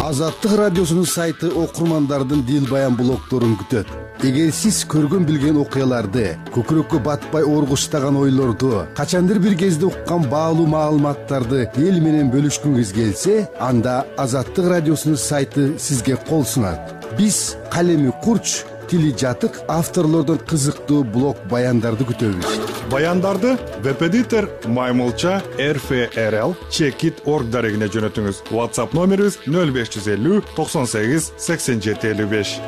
Азаттык радиосунун сайты окурмандардын дил баян блогдорун күтөт. Эгер сиз көргөн билген окуяларды, көкүрөккө батпай оргуштаган ойлорду, качандыр бир кезде уккан баалуу маалыматтарды эл менен бөлүшкүңүз келсе, анда Азаттык радиосунун сайты сизге кол сунат. Биз калеми курч, тили жатык авторлордон кызыктуу блог баяндарды күтөбүз. Баяндарды веб-эдитор Маймылча RFRL Checkit.org дарегине жөнөтүңүз. WhatsApp номерибиз 0550 98 87 55.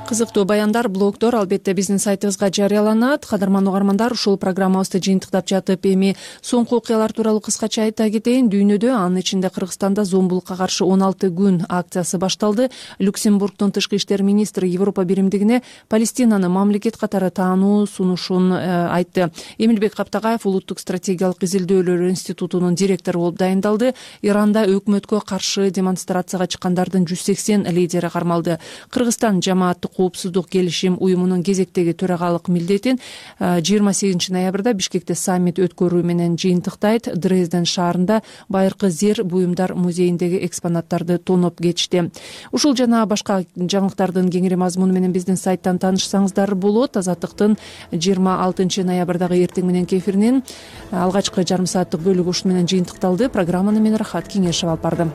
Кызыктуу баяндар, блогдор албетте биздин сайтыбызга жарыяланат. Кадырман угармандар, ушул программабызды жыйынтыктап жатып, эми соңку окуялар тууралуу кыскача айта кетейин. Дүйнөдө, анын ичинде Кыргызстанда зомбулукка каршы 16 күн акциясы башталды. Люксембургдун тышкы иштер министри Европа биримдигине Палестинаны мамлекет катары таануу сунушун айтты. Эмилбек Каптагаев Улуттук стратегиялык изилдөөлөр институтунун директору болуп дайындалды. Иранда өкмөткө каршы демонстрацияга чыккандардын 180 лидери кармалды. Кыргызстан жамааттык коопсуздук келишим уюмунун кезектеги төрагалык милдетин 28 ноябрда Бишкекте саммит өткөрүү менен жыйынтыктайт. Дрезден шаарында байыркы зер буюмдар музейиндеги экспонаттарды тоноп кетишти. Ушул жана башка жаңылыктардын кеңири мазмуну менен биздин сайттан таанышсаңыздар болот. Азаттыктын 26 ноябрдагы эртең мененки эфиринин алгачкы жарым сааттык бөлүгү ушун менен жыйынтыкталды. Программаны мен Рахат Кеңешов алып бардым.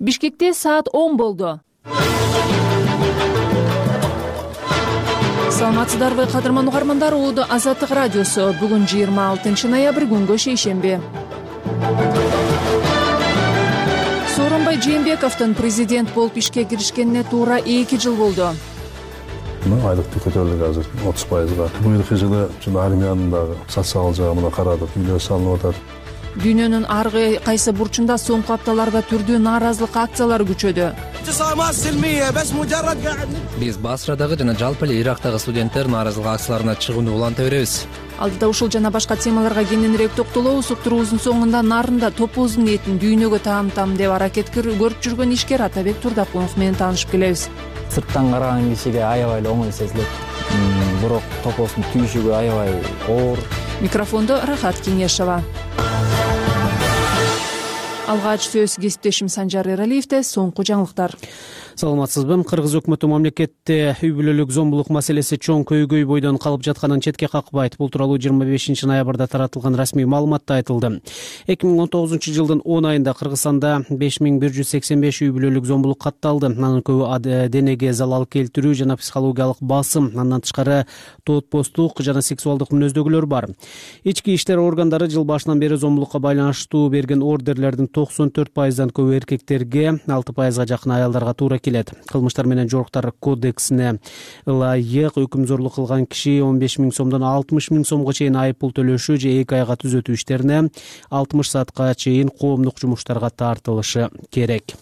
Бишкекте саат 10 болду. Саламатсыздарбы, кадырман угармандар, Улуу Азаттык радиосу. Бүгүн 26 ноябрь, күнгө шейшемби. Сооронбай Жээнбековдун президент болуп ишке киришкенине туура 2 жыл болду. Айлыктын көтөрүлүгү азыр 30%. Быйылкы жылы армиянын дагы социалдык жагына карадык, үйлөр салынып атат. Дүйнөнүн ар кайсы бурчунда соңку апталарда түрдүү нааразылык акциялары күчөдү. Биз Басрадагы жана жалпы эле Ирактагы студенттер нааразылык акцияларына чыгууну уланта беребиз. Алдыда ушул жана башка темаларга кененирээк токтолобуз. Уктуруубуздун соңунда Нарында топоздун этин дүйнөгө таам деп аракет көрүп жүргөн ишкер Атабек Турдакунов менен таанышып келебиз. Сырттан караган кишиге аябай эле оңой сезилет. Бирок топоздун түйшүгү аябай оор. Микрофондо Рахат Кеңешова. Алгач сөз кесиптешим Санжар Эралиевде. Соңку жаңылыктар. Саламатсызбы. Кыргыз өкмөтү мамлекетте үй бүлөлүк зомбулук маселеси чоң көйгөй бойдон калып жатканын четке какпайт. Бул тууралуу 25 ноябрда таратылган расмий маалыматта айтылды. 2019 жылдын 10 айында Кыргызстанда 5185 үй бүлөлүк зомбулук катталды. Анын көбү денеге залал келтирүү жана психологиялык басым, андан тышкары тоотпостук жана сексуалдык мүнөздөгүлөр бар. Ички иштер органдары жыл башынан бери зомбулукка байланыштуу берген ордерлердин 94%дан көбү эркектерге, 6%га жакын аялдарга туура келет. Кылмыштар менен жоруктар кодексине ылайык өкүмзорлук кылган киши 15 000 сомдон 60 000 сомго чейин айыппул төлөшү же 2 айга түзөтүү иштерине 60 саатка чейин коомдук жумуштарга тартылышы керек.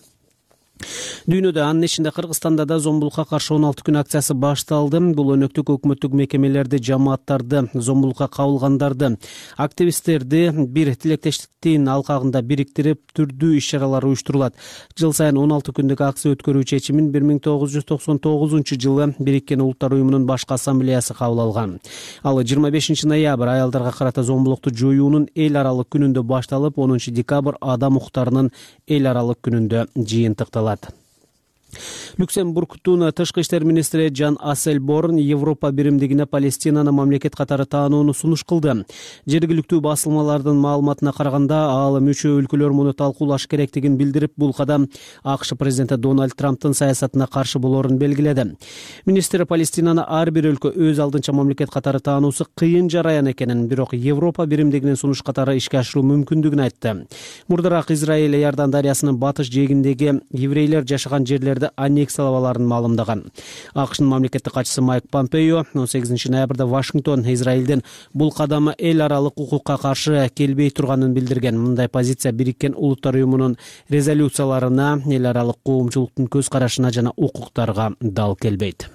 Дүйнөдө, анын ичинде Кыргызстанда да зомбулукка каршы 16 күн акциясы башталды. Бул өнөктүк өкмөттүк мекемелерди, жамааттарды, зомбулукка кабылгандарды, активисттерди бир тилектештиктин алкагында бириктирип, түрдүү иш-чаралар уюштурулат. Жыл сайын 16 күндүк акция өткөрүү чечимин 1999 жылы Бириккен Улуттар уюмунун башкы ассамблеясы кабыл алган. Ал 25 ноябрь аялдарга карата зомбулукту жоюунун эл аралык күнүндө башталып, 10 декабрь адам укуктарынын эл аралык күнүндө жыйынтыкталат. Люксембургдун тышкы иштер министри Жан Асселборн Европа биримдигине Палестинаны мамлекет катары таанууну сунуш кылды. Жергиликтүү басылмалардын маалыматына караганда, ал мүчө өлкөлөр муну талкуулаш керектигин билдирип, бул кадам АКШ президенти Дональд Трамптын саясатына каршы болоорун белгиледи. Министр Палестинаны ар бир өлкө өз алдынча мамлекет катары таануусу кыйын жараян экенин, бирок Европа биримдигинин сунуш катары ишке ашыруу мүмкүндүгүн айтты. Мурдараак Израиль Иордан дарыясынын батыш жээгиндеги еврейлер жашаган жерлерди аннексиялап аларын маалымдаган. АКШнын мамлекеттик катчысы Майк Помпео 18 ноябрда Вашингтон Израилдин бул кадамы эл аралык укукка каршы келбей турганын билдирген. Мындай позиция Бириккен Улуттар уюмунун резолюцияларына, эл аралык коомчулуктун көз карашына жана укуктарга дал келбейт.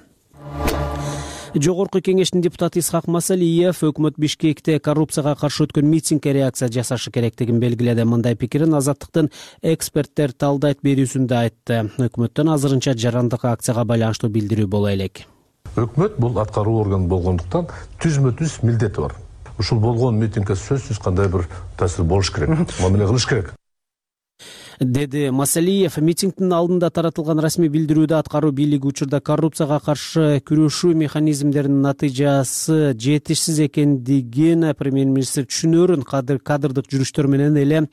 Жогорку кеңештин депутаты Исхак Масалиев өкмөт Бишкекте коррупцияга каршы өткөн митингге реакция жасашы керектигин белгиледи. Мындай пикирин Азаттыктын эксперттер талдайт берүүсүндө айтты. Өкмөттөн азырынча жарандык акцияга байланыштуу билдирүү боло элек. Өкмөт бул аткаруу орган болгондуктан түзмө-түз милдети бар. Ушул болгон митингге сөзсүз кандай бир таасир болуш керек, мамиле кылыш керек. деди Масалиев. Митингдин алдында таратылган расмий билдирүүдө аткаруу бийлиги учурда коррупцияга каршы күрөшүү механизмдеринин натыйжасы жетишсиз экендигин премьер-министр түшүнөрүн кадрдык жүрүштөр менен эле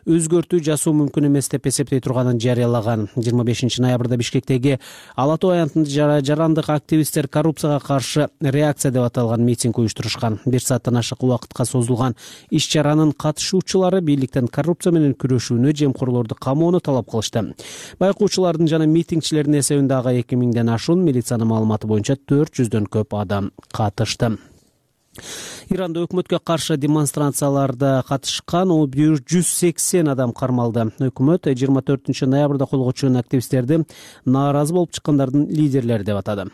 өзгөртүү жасоо мүмкүн эмес деп эсептей турганын жарыялаган. 25 ноябрда Бишкектеги Ала Тоо аянтында жарандык активисттер коррупцияга каршы реакция деп аталган митинг уюштурушкан. 1 сааттан ашык убакытка созулган иш-чаранын катышуучулары бийликтен коррупция менен күрөшүүнү, жемкорлорду камоону талап кылышты. Байкоочулардын жана митингчилердин эсебинде 2000ден ашуун, милициянын маалыматы боюнча 400дөн көп адам катышты. Иранда өкмөткө каршы демонстрацияларда катышкан 180 адам кармалды. Өкмөт 24 ноябрда колго түшкөн активисттерди нааразы болуп чыккандардын лидерлери деп атады.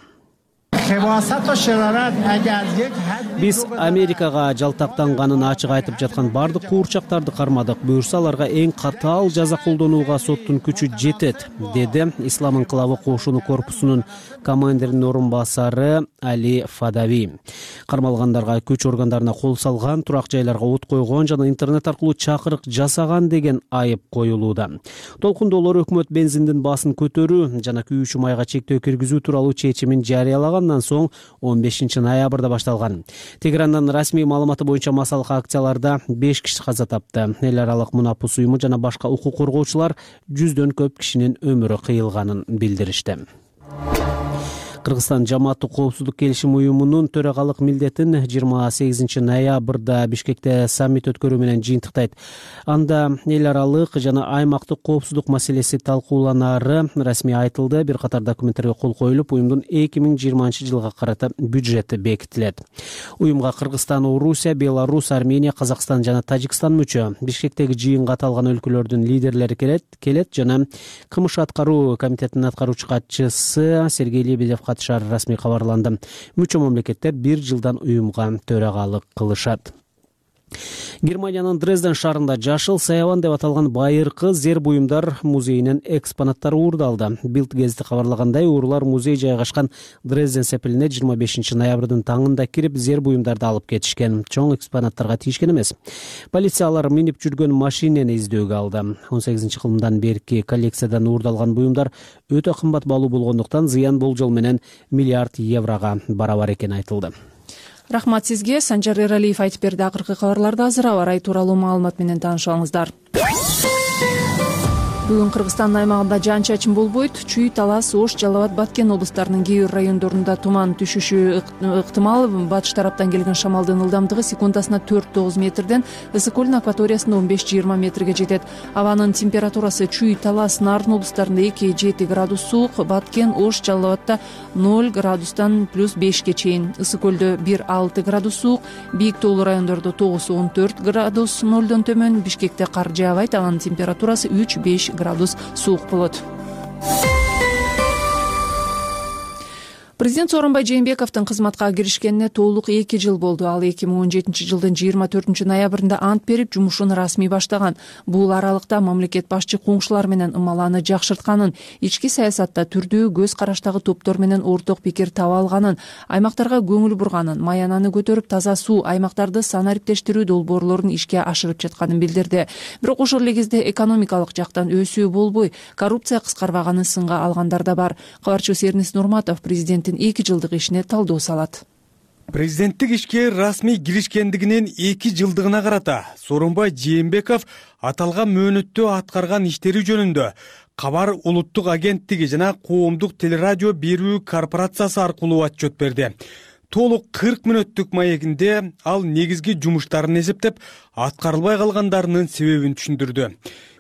Биз Америкага жалтактанганын ачык айтып жаткан бардык куурчактарды кармадык. Буюрса аларга эң катаал жаза колдонууга соттун күчү жетет, деди Ислам инкылабы кошуну корпусунун командиринин орун басары Али Фадави. Кармалгандарга күч органдарына кол салган, турак жайларга от койгон жана интернет аркылуу чакырык жасаган деген айып коюлууда. Толкундоолор өкмөт бензиндин баасын көтөрүү жана күйүүчү майга чектөө киргизүү тууралуу чечимин жарыялагандан соң 15 ноябрда башталган. Тегерандан расмий маалыматы боюнча масалык акцияларда 5 киши каза тапты. Эл аралык Мунапус уюму жана башка укук коргоочулар 100дөн көп кишинин өмүрү кыйылганын билдиришти. Кыргызстан жамааттык коопсуздук келишим уюмунун төрагалык милдетин 28 ноябрда Бишкекте саммит өткөрүү менен жыйынтыктайт. Анда эл аралык жана аймактык коопсуздук маселеси талкууланары расмий айтылды. Бир катар документтерге кол коюлуп, уюмдун 2020 жылга карата бюджети бекитилет. Уюмга Кыргызстан, Орусия, Беларусь, Армения, Казакстан жана Тажикстан мүчө. Бишкектеги жыйынга аталган өлкөлөрдүн лидерлери келет жана КМШ аткаруу комитетинин аткаруучу катчысы Сергей Лебедев катышары расмий кабарланды. Мүчө мамлекеттер 1 жылдан уюмга төрагалык кылышат. Германиянын Дрезден шаарында жашыл саябан деп аталган байыркы зер буюмдар музейинен экспонаттар уурдалды. Билд гезити кабарлагандай, уурулар музей жайгашкан Дрезден сепилине 25 ноябрдын таңында кирип, зер буюмдарды алып кетишкен. Чоң экспонаттарга тийишкен эмес. Полициялар минип жүргөн машинени издөөгө алды. 18-кылымдан берки коллекциядан уурдалган буюмдар өтө кымбат баалуу болгондуктан зыян болжол менен миллиард еврого барабар экени айтылды. Рахмат сизге. Санжар Эралиев айтып берди. Акыркы кабарларды азыр аба ырайы тууралуу маалымат менен таанышыңыздар. Бүгүн Кыргызстандын аймагында жаан-чачын болбойт. Чүй, Талас, Ош, Жалал Абад, Баткен облустарынын кээ бир райондорунда туман түшүшү ыктымал. Батыш тараптан келген шамалдын ылдамдыгы секундасына 4-9 метрден, ысык көлдүн акваториясында 15-20 метрге жетет. Абанын температурасы Чүй, Талас, Нарын облустарында 2-7 градус суук, Баткен, Ош, Жалал Абадта 0 градустан +5ке чейин, ысык көлдө 1-6 градус суук, бийик тоолуу райондордо 9-14 градус 0дон төмөн, Бишкекте кар жаабайт, абанын температурасы 3-5 градус суук болот. Президент Сооронбай Жээнбековдун кызматка киришкенине толук 2 жыл болду. Ал 2017 жылдын 24 ноябрында ант берип, жумушун расмий баштаган. Бул аралыкта мамлекет башчы коңшулар менен ымаланы жакшыртканын, ички саясатта түрдүү көз караштагы топтор менен орток пикир таба алганын, аймактарга көңүл бурганын, маянаны көтөрүп, таза суу, аймактарды санариптештирүү долбоорлорун ишке ашырып жатканын билдирди. Бирок ошол эле кезде экономикалык жактан өсүү болбой, коррупция кыскарбаганын сынга алгандар да бар. Кабарчыбыз Эрнис Нурматов президенттин 2 жылдык ишине талдоо салат. Президенттик ишке расмий киришкендигинин 2 жылдыгына карата Сооронбай Жээнбеков аталган мөөнөттө аткарган иштери жөнүндө Кабар улуттук агенттиги жана коомдук телерадио берүү корпорациясы аркылуу отчет берди. Толук 40 мүнөттүк маегинде ал негизги жумуштарын эсептеп, аткарылбай калгандарынын себебин түшүндүрдү.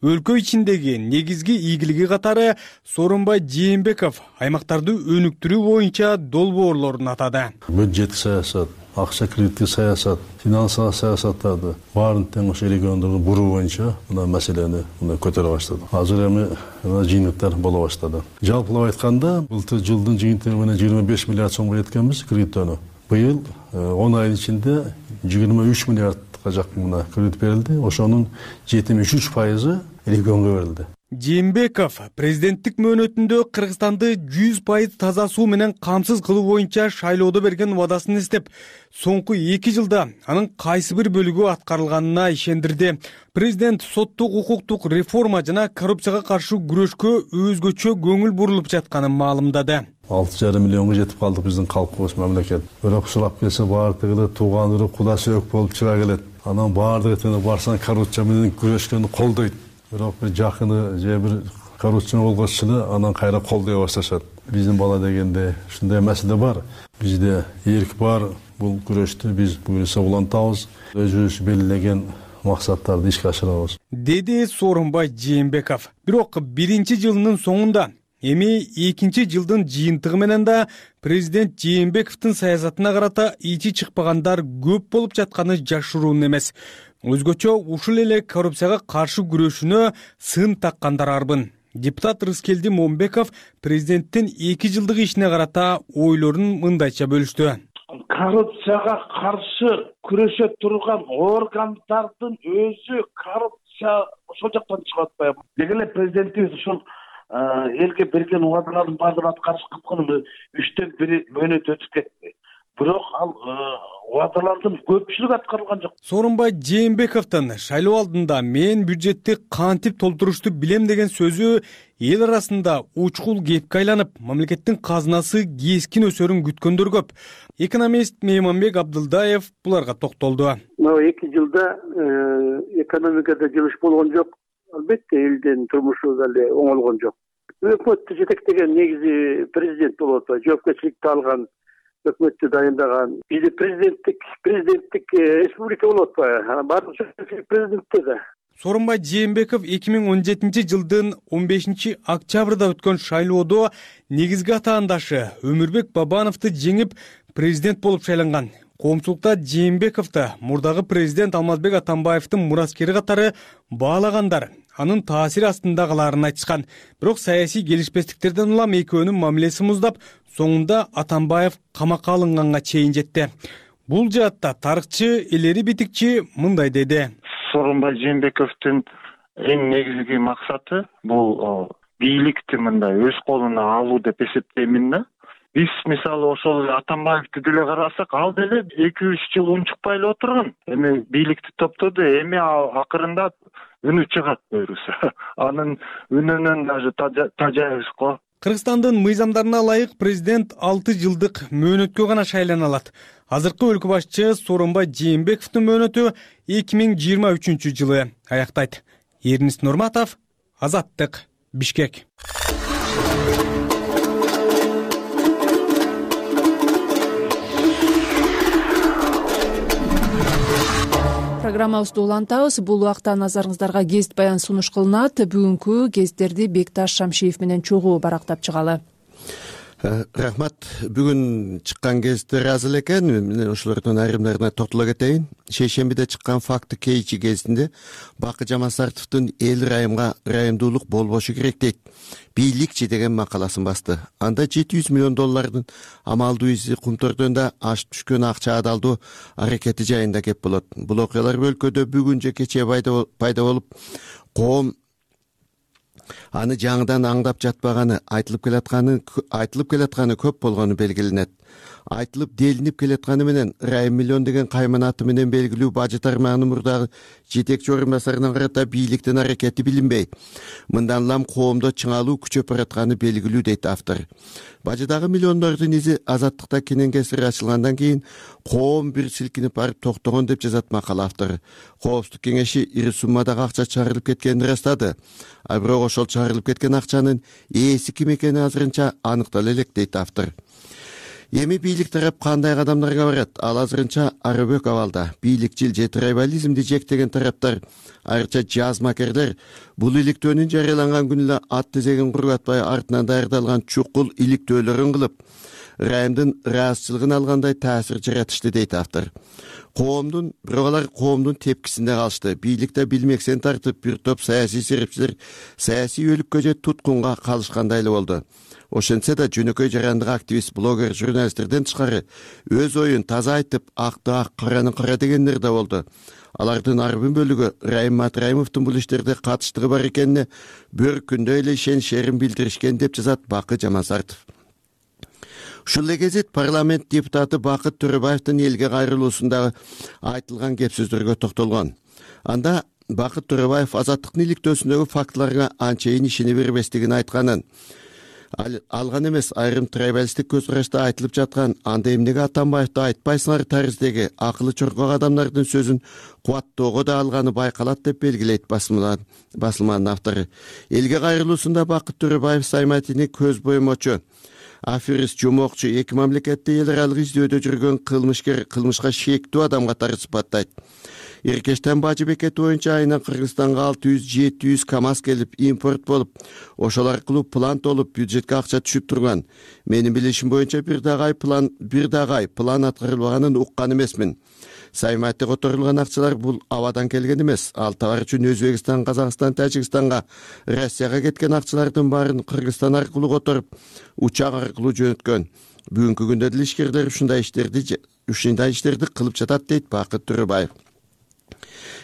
Өлкө ичиндеги негизги ийгилиги катары Сооронбай Жээнбеков аймактарды өнүктүрүү боюнча долбоорлорун атады. Бюджеттик саясат, акча кредиттик саясат, финансылык саясаттарды баарын тең ошо региондорго буруу боюнча мына маселени көтөрө баштады. Азыр эми жыйынтыктар боло баштады. Жалпылап айтканда, былтыр жылдын жыйынтыгы менен 25 миллиард сомго жеткенбиз кредиттөөнү. Быйыл 10 айдын ичинде 23 миллиардка жакын кредит берилди. Ошонун 73%, илектөөнгө берилди. Жээнбеков президенттик мөөнөтүндө Кыргызстанды 100% таза суу менен камсыз кылуу боюнча шайлоодо берген убадасын эстеп, соңку 2 жылда анын кайсы бир бөлүгү аткарылганына ишендирди. Президент соттук укуктук реформа жана коррупцияга каршы күрөшкө өзгөчө көңүл бурулуп жатканын маалымдады. 6,5 миллионго жетип калдык биздин калкыбыз мамлекет. Бирок сурап келсе баардыгы тууган үрү куда сөөк болуп чыга келет. Анан баардыгы барсаң коррупция менен күрөшкөнү колдойт. Бирок бир жакыны же бир коррупция болгоч эле анан кайра колдой башташат. Биздин бала дегенде ушундай маселе бар. Бизде эрк бар. Бул күрөштү биз буюрса улантабыз. Өзүбүз белгилеген максаттарды ишке ашырабыз, деди Сооронбай Жээнбеков. Бирок биринчи жылынын соңунда эми экинчи жылдын жыйынтыгы менен да президент Жээнбековдун саясатына карата ичи чыкпагандар көп болуп жатканы жашыруун эмес. Өзгөчө ушул эле коррупцияга каршы күрөшүнө сын таккандар арбын. Депутат Рыскелди Момбеков президенттин 2 жылдык ишине карата ойлорун мындайча бөлүштү. Коррупцияга каршы күрөшө турган органдардын өзү коррупция ошол жактан чыгып атпайбы? Деги эле президентибиз ушул элге берген убадалардын баардыгын аткарыш кыткан 3төн 1 мөөнөт өтүп кетти. Бирок ал убадалардын көпчүлүгү аткарылган жок. Сооронбай Жээнбековдун шайлоо алдында мен бюджетти кантип толтурушту билем деген сөзү эл арасында учкул кепке айланып, мамлекеттин казынасы кескин өсөрүн күткөндөр көп. Экономист Мейманбек Абдылдаев буларга токтолду. 2 жылда экономикада жылыш болгон жок. Албетте элдин турмушу деле оңолгон жок. Өкмөттү жетектеген негизи президент болуп атпайбы? Жоопкерчиликти алган, өкмөттү дайындаган. Бизде президенттик республика болуп атпайбы? Баардык президентте да. Сооронбай Жээнбеков 2017 жылдын 15 октябрда өткөн шайлоодо негизги атаандашы Өмүрбек Бабановду жеңип президент болуп шайланган. Коомчулукта Жээнбековду мурдагы президент Алмазбек Атамбаевдин мураскери катары баалагандар анын таасири астында калаарын айтышкан. Бирок саясий келишпестиктерден улам экөөнүн мамилеси муздап, соңунда Атамбаев камакка алынганга чейин жетти. Бул жаатта тарыхчы Элери Битикчи мындай деди. Сооронбай Жээнбековдун эң негизги максаты бул бийликти мындай өз колуна алуу деп эсептеймин да. Биз мисалы ошол Атамбаевди деле карасак, ал деле 2-3 жыл унчукпай эле отурган. Эми бийликти топтоду, эми акырында үнү чыгат буюрса. Анын үнүнөн даже тажайбыз го. Кыргызстандын мыйзамдарына ылайык президент 6 жылдык мөөнөткө гана шайлана алат. Азыркы өлкө башчы Сооронбай Жээнбековдун мөөнөтү 2023 жылы аяктайт. Эрнис Нурматов, Азаттык, Бишкек. Программабызды улантабыз. Бул убакта назарыңыздарга гезит баян сунуш кылынат. Бүгүнкү гезиттерди Бекташ Шамшиев менен чогуу барактап чыгалы. Рахмат. Бүгүн чыккан гезиттер аз эле экен. Мен ошолордун айрымдарына токтоло кетейин. Шейшембиде чыккан Факты Кейчи гезитинде Бакы Жамансартовдун эл райымдуулук болбошу керек дейт. Бийликчи деген макаласын басты. Анда $700 миллион амалдуу изи кумтордонда ашып түшкөн акча адалдоо аракети жайында кеп болот. Бул окуялар өлкөдө бүгүн же кечээ пайда болуп, коом аны жаңыдан аңдап жатпаганы, айтылып келатканы көп болгону белгиленет. Айтылып делинип келатканы менен Райым миллион деген кайман аты менен белгилүү бажы тармагынын мурдагы жетекчи орун басарына карата бийликтин аракети билинбей, мындан улам коомдо чыңалуу күчөп баратканы белгилүү дейт автор. Бажыдагы миллиондордун изи Азаттыкта кенен кесир ачылгандан кийин коом бир силкинип барып токтогон деп жазат макала автору. Коопсуздук кеңеши ири суммадагы акча чыгарылып кеткенин ырастады. А бирок ошол чыгарылып кеткен акчанын ээси ким экени азырынча аныктала элек дейт автор. Эми бийлик тарап кандай кадамдарга барат? Ал азырынча арыбөк абалда. Бийликчил же трайбализмди жектеген тараптар, айрыкча жазмакерлер бул иликтөөнүн жарыяланган күнү эле ат тезегин кургатпай артынан даярдалган чукул иликтөөлөрүн кылып, Райымдын ыраазычылыгын алгандай таасир жаратышты дейт автор. Бирок алар коомдун тепкисинде калышты. Бийликте билмексен тартып бир топ саясий серепчилер саясий өлүккө же туткунга калышкандай эле болду. Ошентсе да жөнөкөй жарандык активист, блогер, журналисттерден тышкары өз оюн таза айтып, акты ак, караны кара дегендер да болду. Алардын арбын бөлүгү Райым Матраимовдун бул иштерде катыштыгы бар экенине бөркүндө эле ишенишерин билдиришкен деп жазат Бакыт Жамансартов. Ушул эле кезет парламент депутаты Бакыт Төрөбаевдин элге кайрылуусундагы айтылган кеп сөздөргө токтолгон. Анда Бакыт Төрөбаев азаттыктын иликтөөсүндөгү фактыларга анчейин ишене бербестигин айтканын, алган эмес айрым трайбалисттик көз карашта айтылып жаткан анда эмнеге Атамбаевди айтпайсыңар тарыздеги акылы чоркок адамдардын сөзүн кубаттоого да алганы байкалат деп белгилейт басылманын автору. Элге кайрылуусунда Бакыт Төрөбаев Сайматини көз боймочу, аферист, жомокчу, эки мамлекетте эл аралык издөөдө жүргөн кылмышкер, кылмышка шектүү адам катары сыпаттайт. Эркештен Бажы бекети боюнча айына Кыргызстанга 600-700 КАМАЗ келип импорт болуп, ошол аркылуу план толуп, бюджетке акча түшүп турган. Менин билишим боюнча бир дагы план аткарылбаганын уккан эмесмин. Сайматте которулган акчалар бул абадан келген эмес. Ал товар үчүн Өзбекстан, Казакстан, Тажикстанга, Россияга кеткен акчалардын баарын Кыргызстан аркылуу которуп, учак аркылуу жөнөткөн. Бүгүнкү күндө деле ишкерлер ушундай иштерди кылып жатат дейт Бакыт Төрөбаев.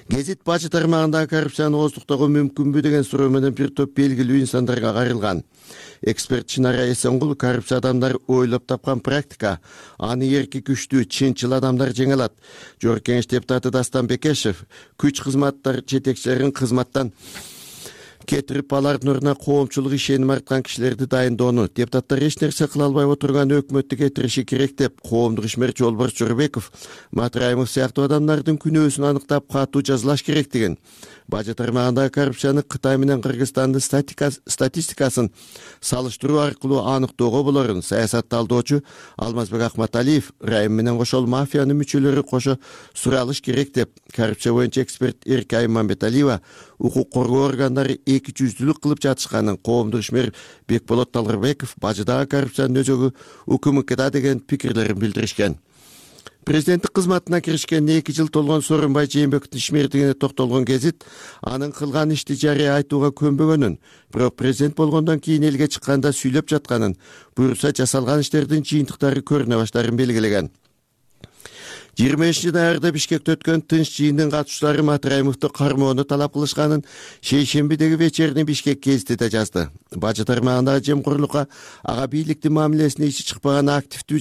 Гезит Бажы тармагындагы коррупцияны ооздуктоого мүмкүнбү деген суроо менен бир топ белгилүү инсандарга кайрылган. Эксперт Чынара Эсенгул коррупция адамдар ойлоп тапкан практика, аны эрки күчтүү, чынчыл адамдар жеңе алат. Жогорку Кеңеш депутаты Дастан Бекешев күч кызматтар жетекчилерин кызматтан кетирип, алардын ордуна коомчулук ишеним арткан кишилерди дайындоону, депутаттар эч нерсе кыла албай отурган өкмөттү кетириши керек деп, коомдук ишмерчи Жолборс Жорбеков Матраимов сыяктуу адамдардын күнөөсүн аныктап катуу жазалаш керектигин, Бажы тармагындагы коррупцияны Кытай менен Кыргызстандын статистикасын салыштыруу аркылуу аныктоого болорун саясат талдоочу Алмазбек Акматалиев Райым менен кошол мафиянын мүчөлөрү кошо суралыш керек деп, коррупция боюнча эксперт Эркай Мамбеталиева укук коргоо органдары эки жүздүүлүк кылып жатышканын, коомдук ишмер Бекболот Талгырбеков бажыдагы коррупциянын өзөгү УКМКда деген пикирлерин билдиришкен. Президенттик кызматына киришкенине 2 жыл толгон Сооронбай Жээнбековдун ишмердигине токтолгон Гезит анын кылган ишти жарыя айтууга көнбөгөнүн, бирок президент болгондон кийин элге чыкканда сүйлөп жатканын, буюрса жасалган иштердин жыйынтыктары көрүнө баштаарын белгилеген. 20 ноябрда Бишкекте өткөн тынч жыйындын катышуучулары Матраимовду кармоону талап кылышканын шейшембидеги вечерний Бишкек гезити да жазды. Бажы тармагындагы жемкорлукка, ага бийликтин мамилесине иши чыкпаган активдүү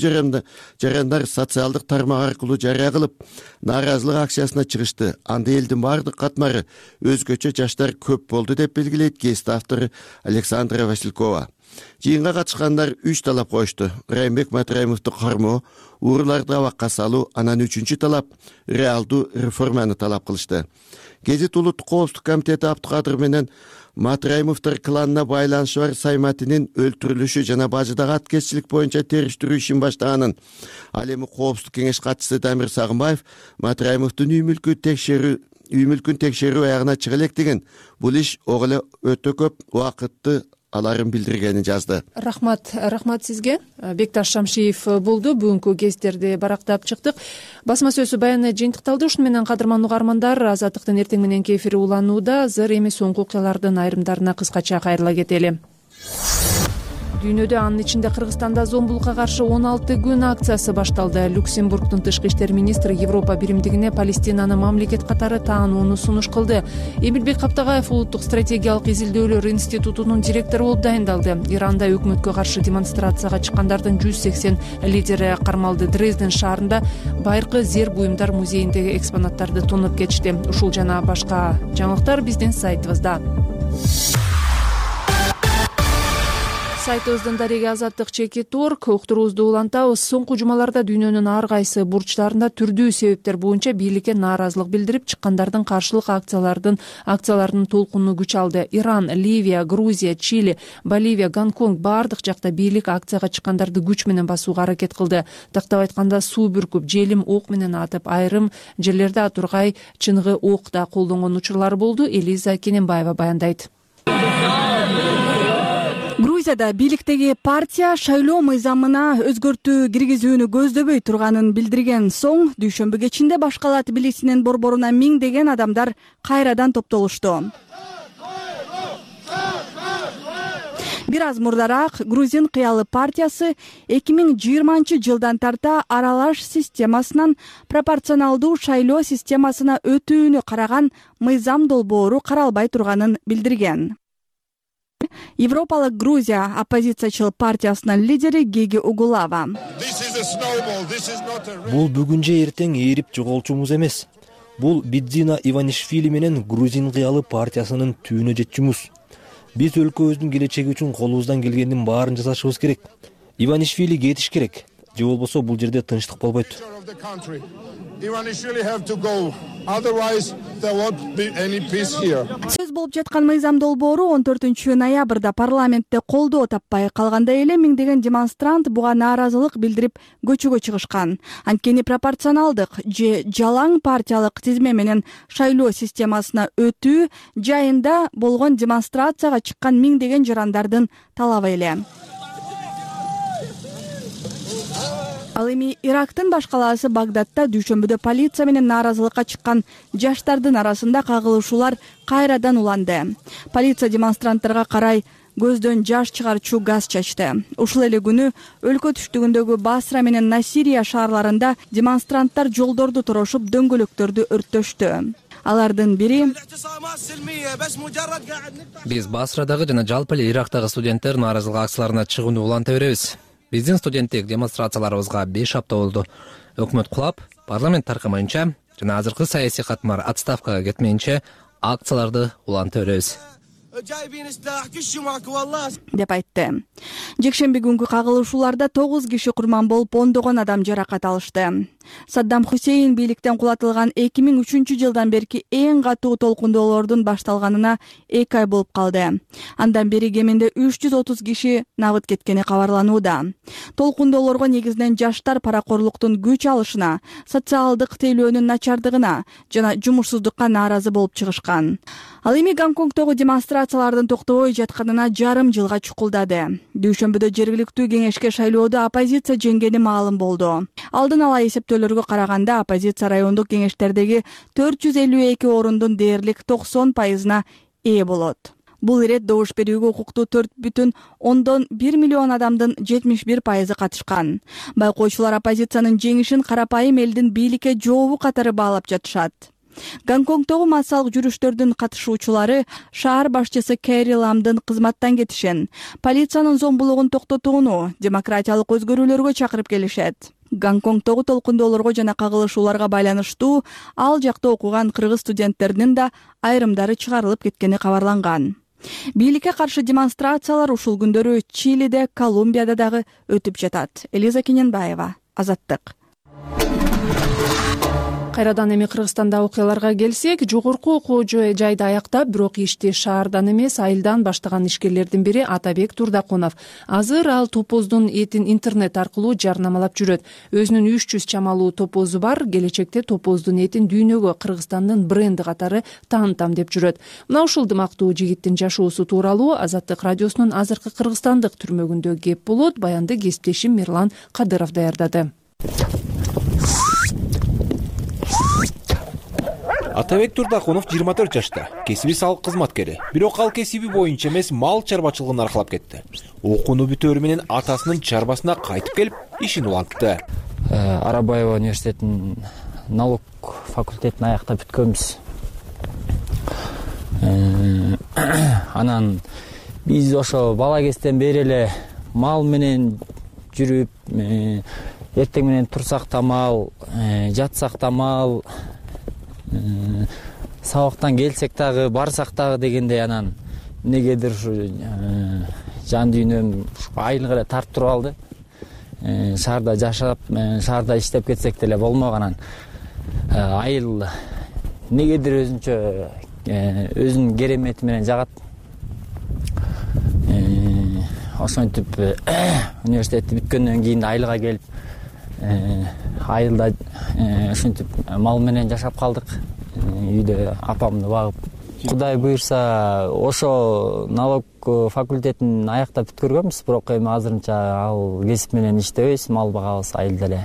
жарандар социалдык тармак аркылуу жарыя кылып, нааразылык акциясына чыгышты. Анда элдин бардык катмары өзгөчө жаштар көп болду деп белгилейт гезит автору Александра Василькова. Жыйынга катышкандар 3 талап коюшту. Райымбек Матраимовду кармоо, ууруларды абакка салуу, анан 3-чү талап реалдуу реформаны талап кылышты. Гезит Улуттук коопсуздук комитети Абдыкадыр менен Матраимовдор кланына байланышы бар Сайматинин өлтүрүлүшү жана Бажыдагы аткезчилик боюнча териштирүү ишин баштаганын, ал эми коопсуздук кеңеш катчысы Дамир Сагынбаев Матраимовдун үй мүлкүн текшерүү аягына чыга электигин, бул иш ого эле өтө көп убакытты аларын билдиргенин жазды. Рахмат сизге. Бекташ Шамшиев болду. Бүгүнкү гезиттерди барактап чыктык. Басма сөзү баяны жыйынтыкталды. Ушуну менен кадырман угармандар, Азаттыктын эртең мененки эфири уланууда. Азыр эми соңку окуялардын айрымдарына кыскача кайрыла кетели. Дүйнөдө, анын ичинде Кыргызстанда зомбулукка каршы 16 күн акциясы башталды. Люксембургдун тышкы иштер министри Европа биримдигине Палестинаны мамлекет катары таанууну сунуш кылды. Эмилбек Каптагаев Улуттук стратегиялык изилдөөлөр институтунун директору болуп дайындалды. Иранда өкмөткө каршы демонстрацияга чыккандардын 180 лидери кармалды. Дрезден шаарында байыркы зер буюмдар музейиндеги экспонаттарды тонуп кетишти. Ушул жана башка жаңылыктар биздин сайтыбызда. Сайтыбыздын дареги Азаттык /org уктуруубузду улантабыз. Соңку жумаларда дүйнөнүн ар кайсы бурчтарында түрдүү себептер боюнча бийликке нааразылык билдирип чыккандардын каршылык акцияларынын толкуну күч алды. Иран, Ливия, Грузия, Чили, Боливия, Гонконг бардык жакта бийлик акцияга чыккандарды күч менен басууга аракет кылды. Тактап айтканда суу бүркүп, желим ок менен атып, айрым жерлерде атургай чыныгы ок да колдонгон учурлар болду. Элиза Кененбаева баяндайт. Грузияда бийликтеги партия шайлоо мыйзамына өзгөртүү киргизүүнү көздөбөй турганын билдирген соң, дүйшөмбү кечинде башкала Тбилисинин борборуна миңдеген адамдар кайрадан топтолушту. Бир аз мурдараак Грузин кыялы партиясы 2020-жылдан тарта аралаш системасынан пропорционалдуу шайлоо системасына өтүүнү караган мыйзам долбоору каралбай турганын билдирген. Европалык Грузия оппозициячыл партиясынын лидери Геги Угулава: Бул бүгүн же эртең ээрип жоголчумуз эмес. Бул Бидзина Иванишвили менен Грузин кыялы партиясынын түүнө жетчүмүз. Биз өлкөбүздүн келечеги үчүн колубуздан келгендин баарын жасашыбыз керек. Иванишвили кетиш керек. Же болбосо бул жерде тынчтык болбойт. Сөз болуп жаткан мыйзам долбоору 14-ноябрда парламентте колдоо таппай калганда эле миңдеген демонстрант буга нааразылык билдирип көчөгө чыгышкан. Анткени пропорционалдык же жалаң партиялык тизме менен шайлоо системасына өтүү жайында болгон демонстрацияга чыккан миңдеген жарандардын талабы эле. Ал эми Ирактын баш калаасы Багдадта дүйшөмбүдө полиция менен нааразылыкка чыккан жаштардын арасында кагылышуулар кайрадан уланды. Полиция демонстранттарга карай көздөн жаш чыгарчу газ чачты. Ушул эле күнү өлкө түштүгүндөгү Басра менен Насирия шаарларында демонстранттар жолдорду торошуп дөңгөлөктөрдү өрттөштү. Алардын бири: Биз Басрадагы жана жалпы эле Ирактагы студенттер нааразылык акцияларына чыгууну уланта беребиз. Биздин студенттик демонстрацияларыбызга 5 апта болду. Өкмөт кулап, парламент таркамайынча жана азыркы саясий катмар отставкага кетмейинче акцияларды уланта беребиз деп айтты. Жекшемби күнгү кагылышууларда 9 киши курман болуп, ондогон адам жаракат алышты. Саддам Хусейн бийликтен кулатылган 2003-жылдан берки эң катуу толкундоолордун башталганына 2 ай болуп калды. Андан бери кеминде 330 киши набыт кеткени кабарланууда. Толкундоолорго негизинен жаштар паракорлуктун күч алышына, социалдык тейлөөнүн начардыгына жана жумушсуздукка нааразы болуп чыгышкан. Ал эми Гонконгдогу демонстрациялардын токтобой жатканына жарым жылга чукулдады. Дүйшөмбүдө жергиликтүү кеңешке шайлоодо оппозиция жеңгени маалым болду. Алдын ала эсептөөлөргө караганда оппозиция райондук кеңештердеги 452 орундун дээрлик 90%-на ээ болот. Бул ирет добуш берүүгө укуктуу 4,1 миллион адамдын 71% катышкан. Байкоочулар оппозициянын жеңишин карапайым элдин бийликке жообу катары баалап жатышат. Гонконгдогу массалык жүрүштөрдүн катышуучулары шаар башчысы Кэри Ламдын кызматтан кетишин, полициянын зомбулугун токтотууну, демократиялык өзгөрүүлөргө чакырып келишет. Гонконгдогу толкундоолорго жана кагылышууларга байланыштуу ал жакта окуган кыргыз студенттеринин да айрымдары чыгарылып кеткени кабарланган. Бийликке каршы демонстрациялар ушул күндөрү Чилиде, Колумбияда дагы өтүп жатат. Элиза Кененбаева, Азаттык. Кайрадан эми Кыргызстанда окуяларга келсек, жогорку окуу жайды аяктап, бирок ишти шаардан эмес, айылдан баштаган ишкерлердин бири Атабек Турдакунов. Азыр ал топоздун этин интернет аркылуу жарнамалап жүрөт. Өзүнүн 300 чамалуу топозу бар, келечекте топоздун этин дүйнөгө Кыргызстандын бренди катары таанытам деп жүрөт. Мына ушул дымактуу жигиттин жашоосу тууралуу Азаттык радиосунун азыркы кыргызстандык түрмөгүндө кеп болот. Баянды кесиптешим Мирлан Кадыров даярдады. Атабек Турдакунов 24 жашта, кесиби салык кызматкери. Бирок ал кесиби боюнча эмес, мал чарбачылыгын аркалап кетти. Окууну бүтөөрү менен атасынын чарбасына кайтып келип, ишин улантты. Арабаева университетинин налог факультетин аяктап бүткөнбүз. Анан биз ошо бала кезден бери эле мал менен жүрүп, эртең менен турсак да мал, жатсак да мал, сабактан келсек дагы, барсак дагы дегендей, анан эмнегедир ушу жан дүйнөм айылга эле тартып туруп алды. Шаарда жашап, шаарда иштеп кетсек деле болмок, анан айыл эмнегедир өзүнчө өзүнүн керемети менен жагат. Ошентип университетти бүткөндөн кийин айылга келип, айылда ушинтип мал менен жашап калдык. Үйдө апамды багып, Кудай буйрса ошо налог факультетин аяктап бүткөргөнбүз, бирок эми азырынча ал кесип менен иштебейбиз, мал багабыз, айылда эле,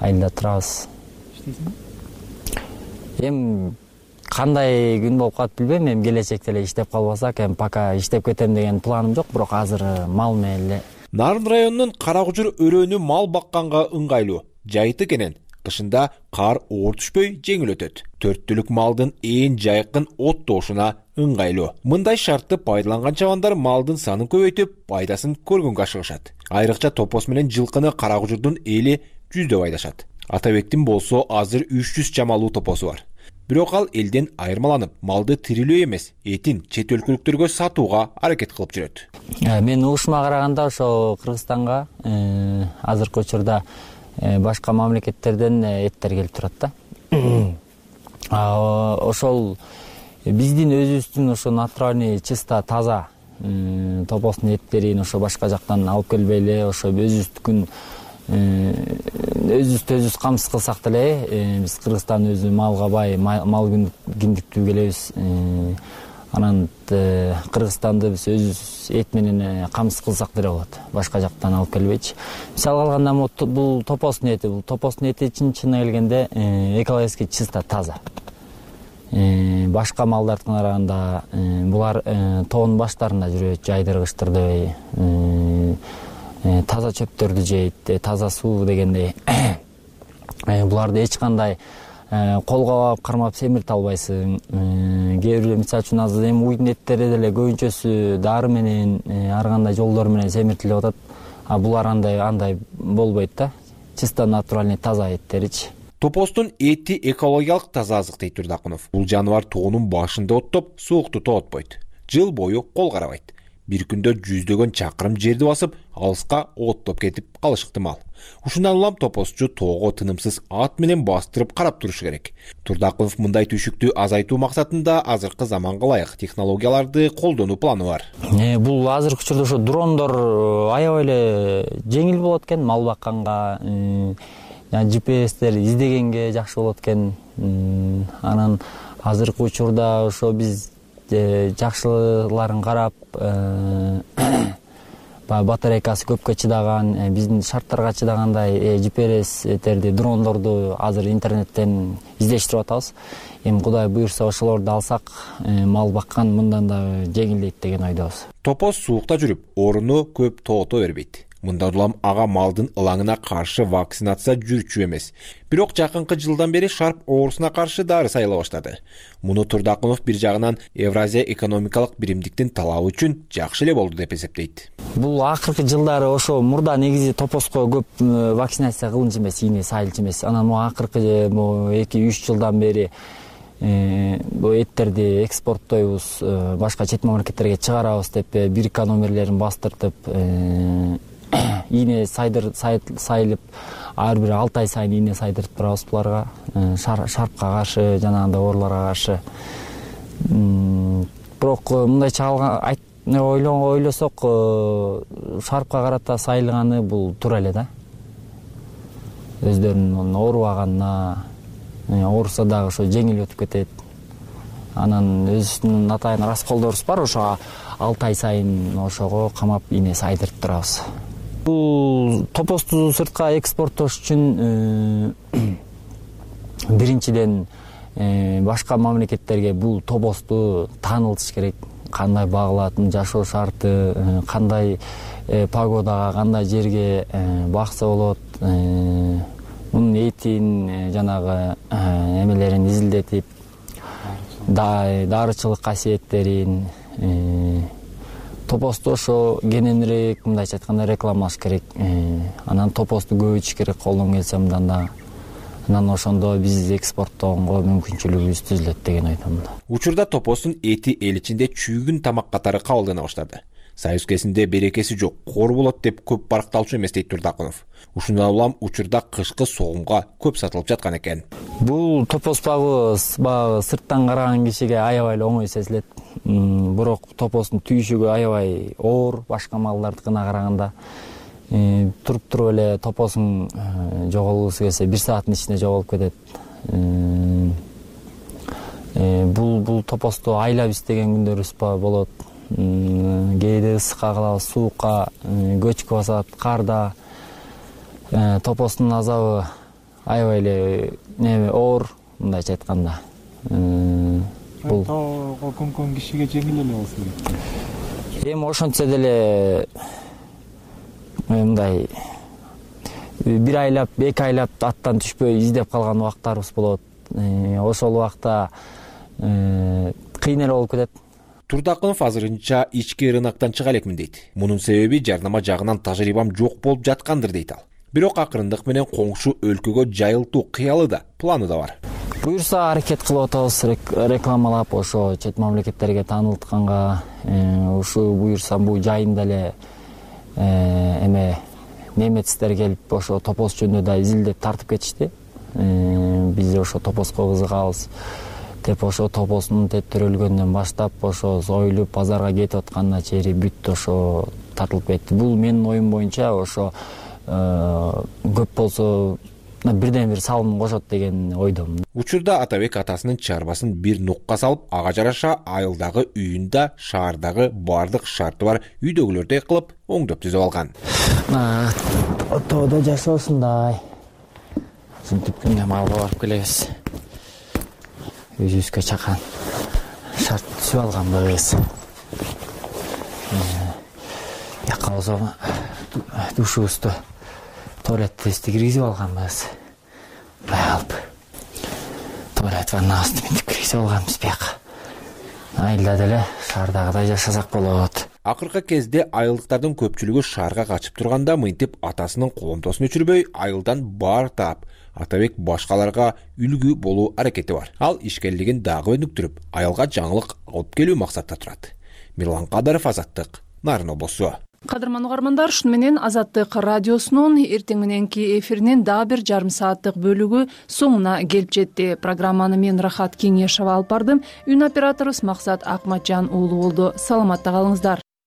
айылда турабыз. Эми кандай күн болуп калат билбейм, эми келечекте эле иштеп калбасак, эми пока иштеп кетем деген планым жок, бирок азыр мал менен эле. Нарын районунун Каракужур өрөөнү мал бакканга ыңгайлуу. Жайыты кенен. Кышында кар оор түшпөй жеңил өтөт. 4 түлүк малдын ээн жайкын оттоошуна ыңгайлуу. Мындай шартты пайдаланган чабандар малдын санын көбөйтүп, пайдасын көргөнгө ашыгышат. Айрыкча топос менен жылкыны Каракужурдун эли жүздөп айдашат. Атабектин болсо азыр 300 чамалуу топосу бар. Бирок ал элден айырмаланып, малды тирилөө эмес, этин чет өлкөлүктөргө сатууга аракет кылып жүрөт. Мен угушума караганда ошо Кыргызстанга азыркы учурда башка мамлекеттерден эттер келип турат да. Ошол биздин өзүбүздүн ошо натуральный чисто таза топостун эттерин ошо башка жактан алып келбей эле ошо өзүбүздүкүн өзүбүз камсыз кылсак деле, биз Кыргызстан өзү малга бай, мал киндиктүү келебиз. Анан Кыргызстанды биз өзүбүз эт менен камсыз кылсак деле болот, башка жактан алып келбейчи. Мисалы алганда бул топостун эти чын келгенде экологически чисто таза. Башка малдардын караганда булар тоонун баштарында жүрөт, жайдыргычтыр дебей, таза чөптөрдү жейт, таза суу дегендей. Буларды эч кандай колго кармап семирте албайсың. Кээ бир мисалы үчүн азыр эми уйдун эттери деле көбүнчөсү дары менен, ар кандай жолдор менен семиртилип атат. А булар андай болбойт да. Чисто натуральный таза эттеричи. Топостун эти экологиялык таза азык дейт Турдакунов. Бул жаныбар тоонун башында оттоп, суукту тоотпойт. Жыл бою кол карабайт. Бир күндө жүздөгөн чакырым жерди басып, алыска оттоп кетип калышы ыктымал. Ушундан улам топосчу тоого тынымсыз ат менен бастырып карап турушу керек. Турдакунов мындай түйшүктү азайтуу максатында азыркы заманга ылайык технологияларды колдонуу планы бар. Бул азыркы учурда ошо дрондор аябай эле жеңил болот экен, мал бакканга, GPS-тер издегенге жакшы болот экен. Анан азыркы учурда ошо биз жакшыларын карап, батарейкасы көпкө чыдаган, биздин шарттарга чыдагандай GPS-терди, дрондорду азыр интернеттен издештирип атабыз. Эми Кудай буйрса ошолорду алсак, мал баккан мындан да жеңилдейт деген ойдобуз. Топос суукта жүрүп, орунду көп тоото бербейт. Мындан улам ага малдын ылаңына каршы вакцинация жүрчү эмес. Бирок жакынкы жылдан бери шарп оорусуна каршы дары сайыла баштады. Муну Турдакунов бир жагынан Евразия экономикалык биримдиктин талабы үчүн жакшы эле болду деп эсептейт. Бул акыркы жылдары ошо мурда негизи топоско көп вакцинация кылынчу эмес, ийне сайылчу эмес. Анан акыркы 2-3 жылдан бери бу эттерди экспорттойбуз, башка чет мамлекеттерге чыгарабыз деп бирка номерлерин бастыртып, ийне сайылып, ар бир 6 ай сайын ийне сайдырып турабыз буларга, шарпка каршы, жанагындай ооруларга каршы. Бирок мындайча ойлосок, шарпка карата сайылганы бул туура эле да. Өздөрүнүн оорубаганына, ооруса дагы ошо жеңил өтүп кетет. Анан өзүбүздүн атайын расколдорубуз бар, ошо 6 ай сайын ошого камап ийне сайдырып турабыз. Бул топосту сыртка экспорттош үчүн биринчиден башка мамлекеттерге бул топосту таанылтыш керек. Кандай багылатын, жашоо шарты, кандай погодага, кандай жерге бакса болот, мунун этин, жанагы эмелерин изилдетип, дарычылык касиеттерин, топосту ошо кененирээк, мындайча айтканда, рекламалаш керек. Анан топосту көбөйтүш керек, колдон келсе мындан да. Анан ошондо биз экспорттоого мүмкүнчүлүгүбүз түзүлөт деген ойдомун. Учурда топостун эти эл ичинде чүйгүн тамак катары кабылдана баштады. Союз кезинде берекеси жок, кор болот деп көп баркталчу эмес дейт Турдакунов. Ушундан улам учурда кышкы согумга көп сатылып жаткан экен. Бул топос багы сырттан караган кишиге аябай эле оңой сезилет. Бирок топостун түйшүгү аябай оор, башка малдардыкына караганда. Туруп эле топосун жоголгусу келсе 1 сааттын ичинде жоголуп кетет. Бул топосту айлап издеген күндөрүбүз болот. Кээде ысыкка калабыз, суукка, көчкү басат, карда. Топостун азабы аябай эле оор, мындайча айтканда. бул тоого көмкөн кишиге жеңил эле болсо керек. Эми ошентсе деле мындай бир айлап, 2 айлап аттан түшпөй издеп калган убактарыбыз болот. Ошол убакта кыйын эле болуп кетет. Турдакынов азырынча ички рыноктон чыга элекмин дейт. Мунун себеби жарнама жагынан тажрыйбам жок болуп жаткандыр дейт ал. Бирок акырындык менен коңшу өлкөгө жайылтуу кыялы да, планы да бар. Буюрса аракет кылып атабыз, рекламалап ошо чет мамлекеттерге таанылтканга, ушу буюрса бул жайында эле эме немецтер келип ошо топоз жөнүндө да изилдеп тартып кетишти. Биз ошо топозго кызыгабыз деп ошо топоздун төрөлгөндөн баштап ошо союлуп базарга кетип атканына чейин бүт ошо тартылып кетти. Бул менин оюм боюнча ошо көп болсо бирден бир салым кошот деген ойдомун. Учурда Атабек атасынын чарбасын бир нукка салып, ага жараша айылдагы үйүн да шаардагы бардык шарты бар үйдөгүлөрдөй кылып оңдоп түзүп алган. Тоодо жашоосундай синтип күнгө малга барып келебиз. Өзүбүзгө чакан шарт түзүп алганбыз. Жака болсо душубузду, туалетибизди киргизип алганбыз. Алып туалет ваннабызды мынтип киргизип алганбыз бияка. Айылда деле шаардагыдай жашасак болот. Акыркы кезде айылдыктардын көпчүлүгү шаарга качып турганда мынтип атасынын коломтосун өчүрбөй айылдан баар таап, Атабек башкаларга үлгү болуу аракети бар. Ал ишкерлигин дагы өнүктүрүп, айылга жаңылык алып келүү максатта турат. Мирлан Кадаров, Азаттык, Нарын облусу. Кадырман угармандар, шуну менен Азаттык радиосунун эртең мененки эфиринин дагы бир жарым сааттык бөлүгү соңуна келип жетти. Программаны мен Рахат Кеңешова алып бардым. Үн операторубуз Максат Акматжан уулу болду. Саламатта калыңыздар.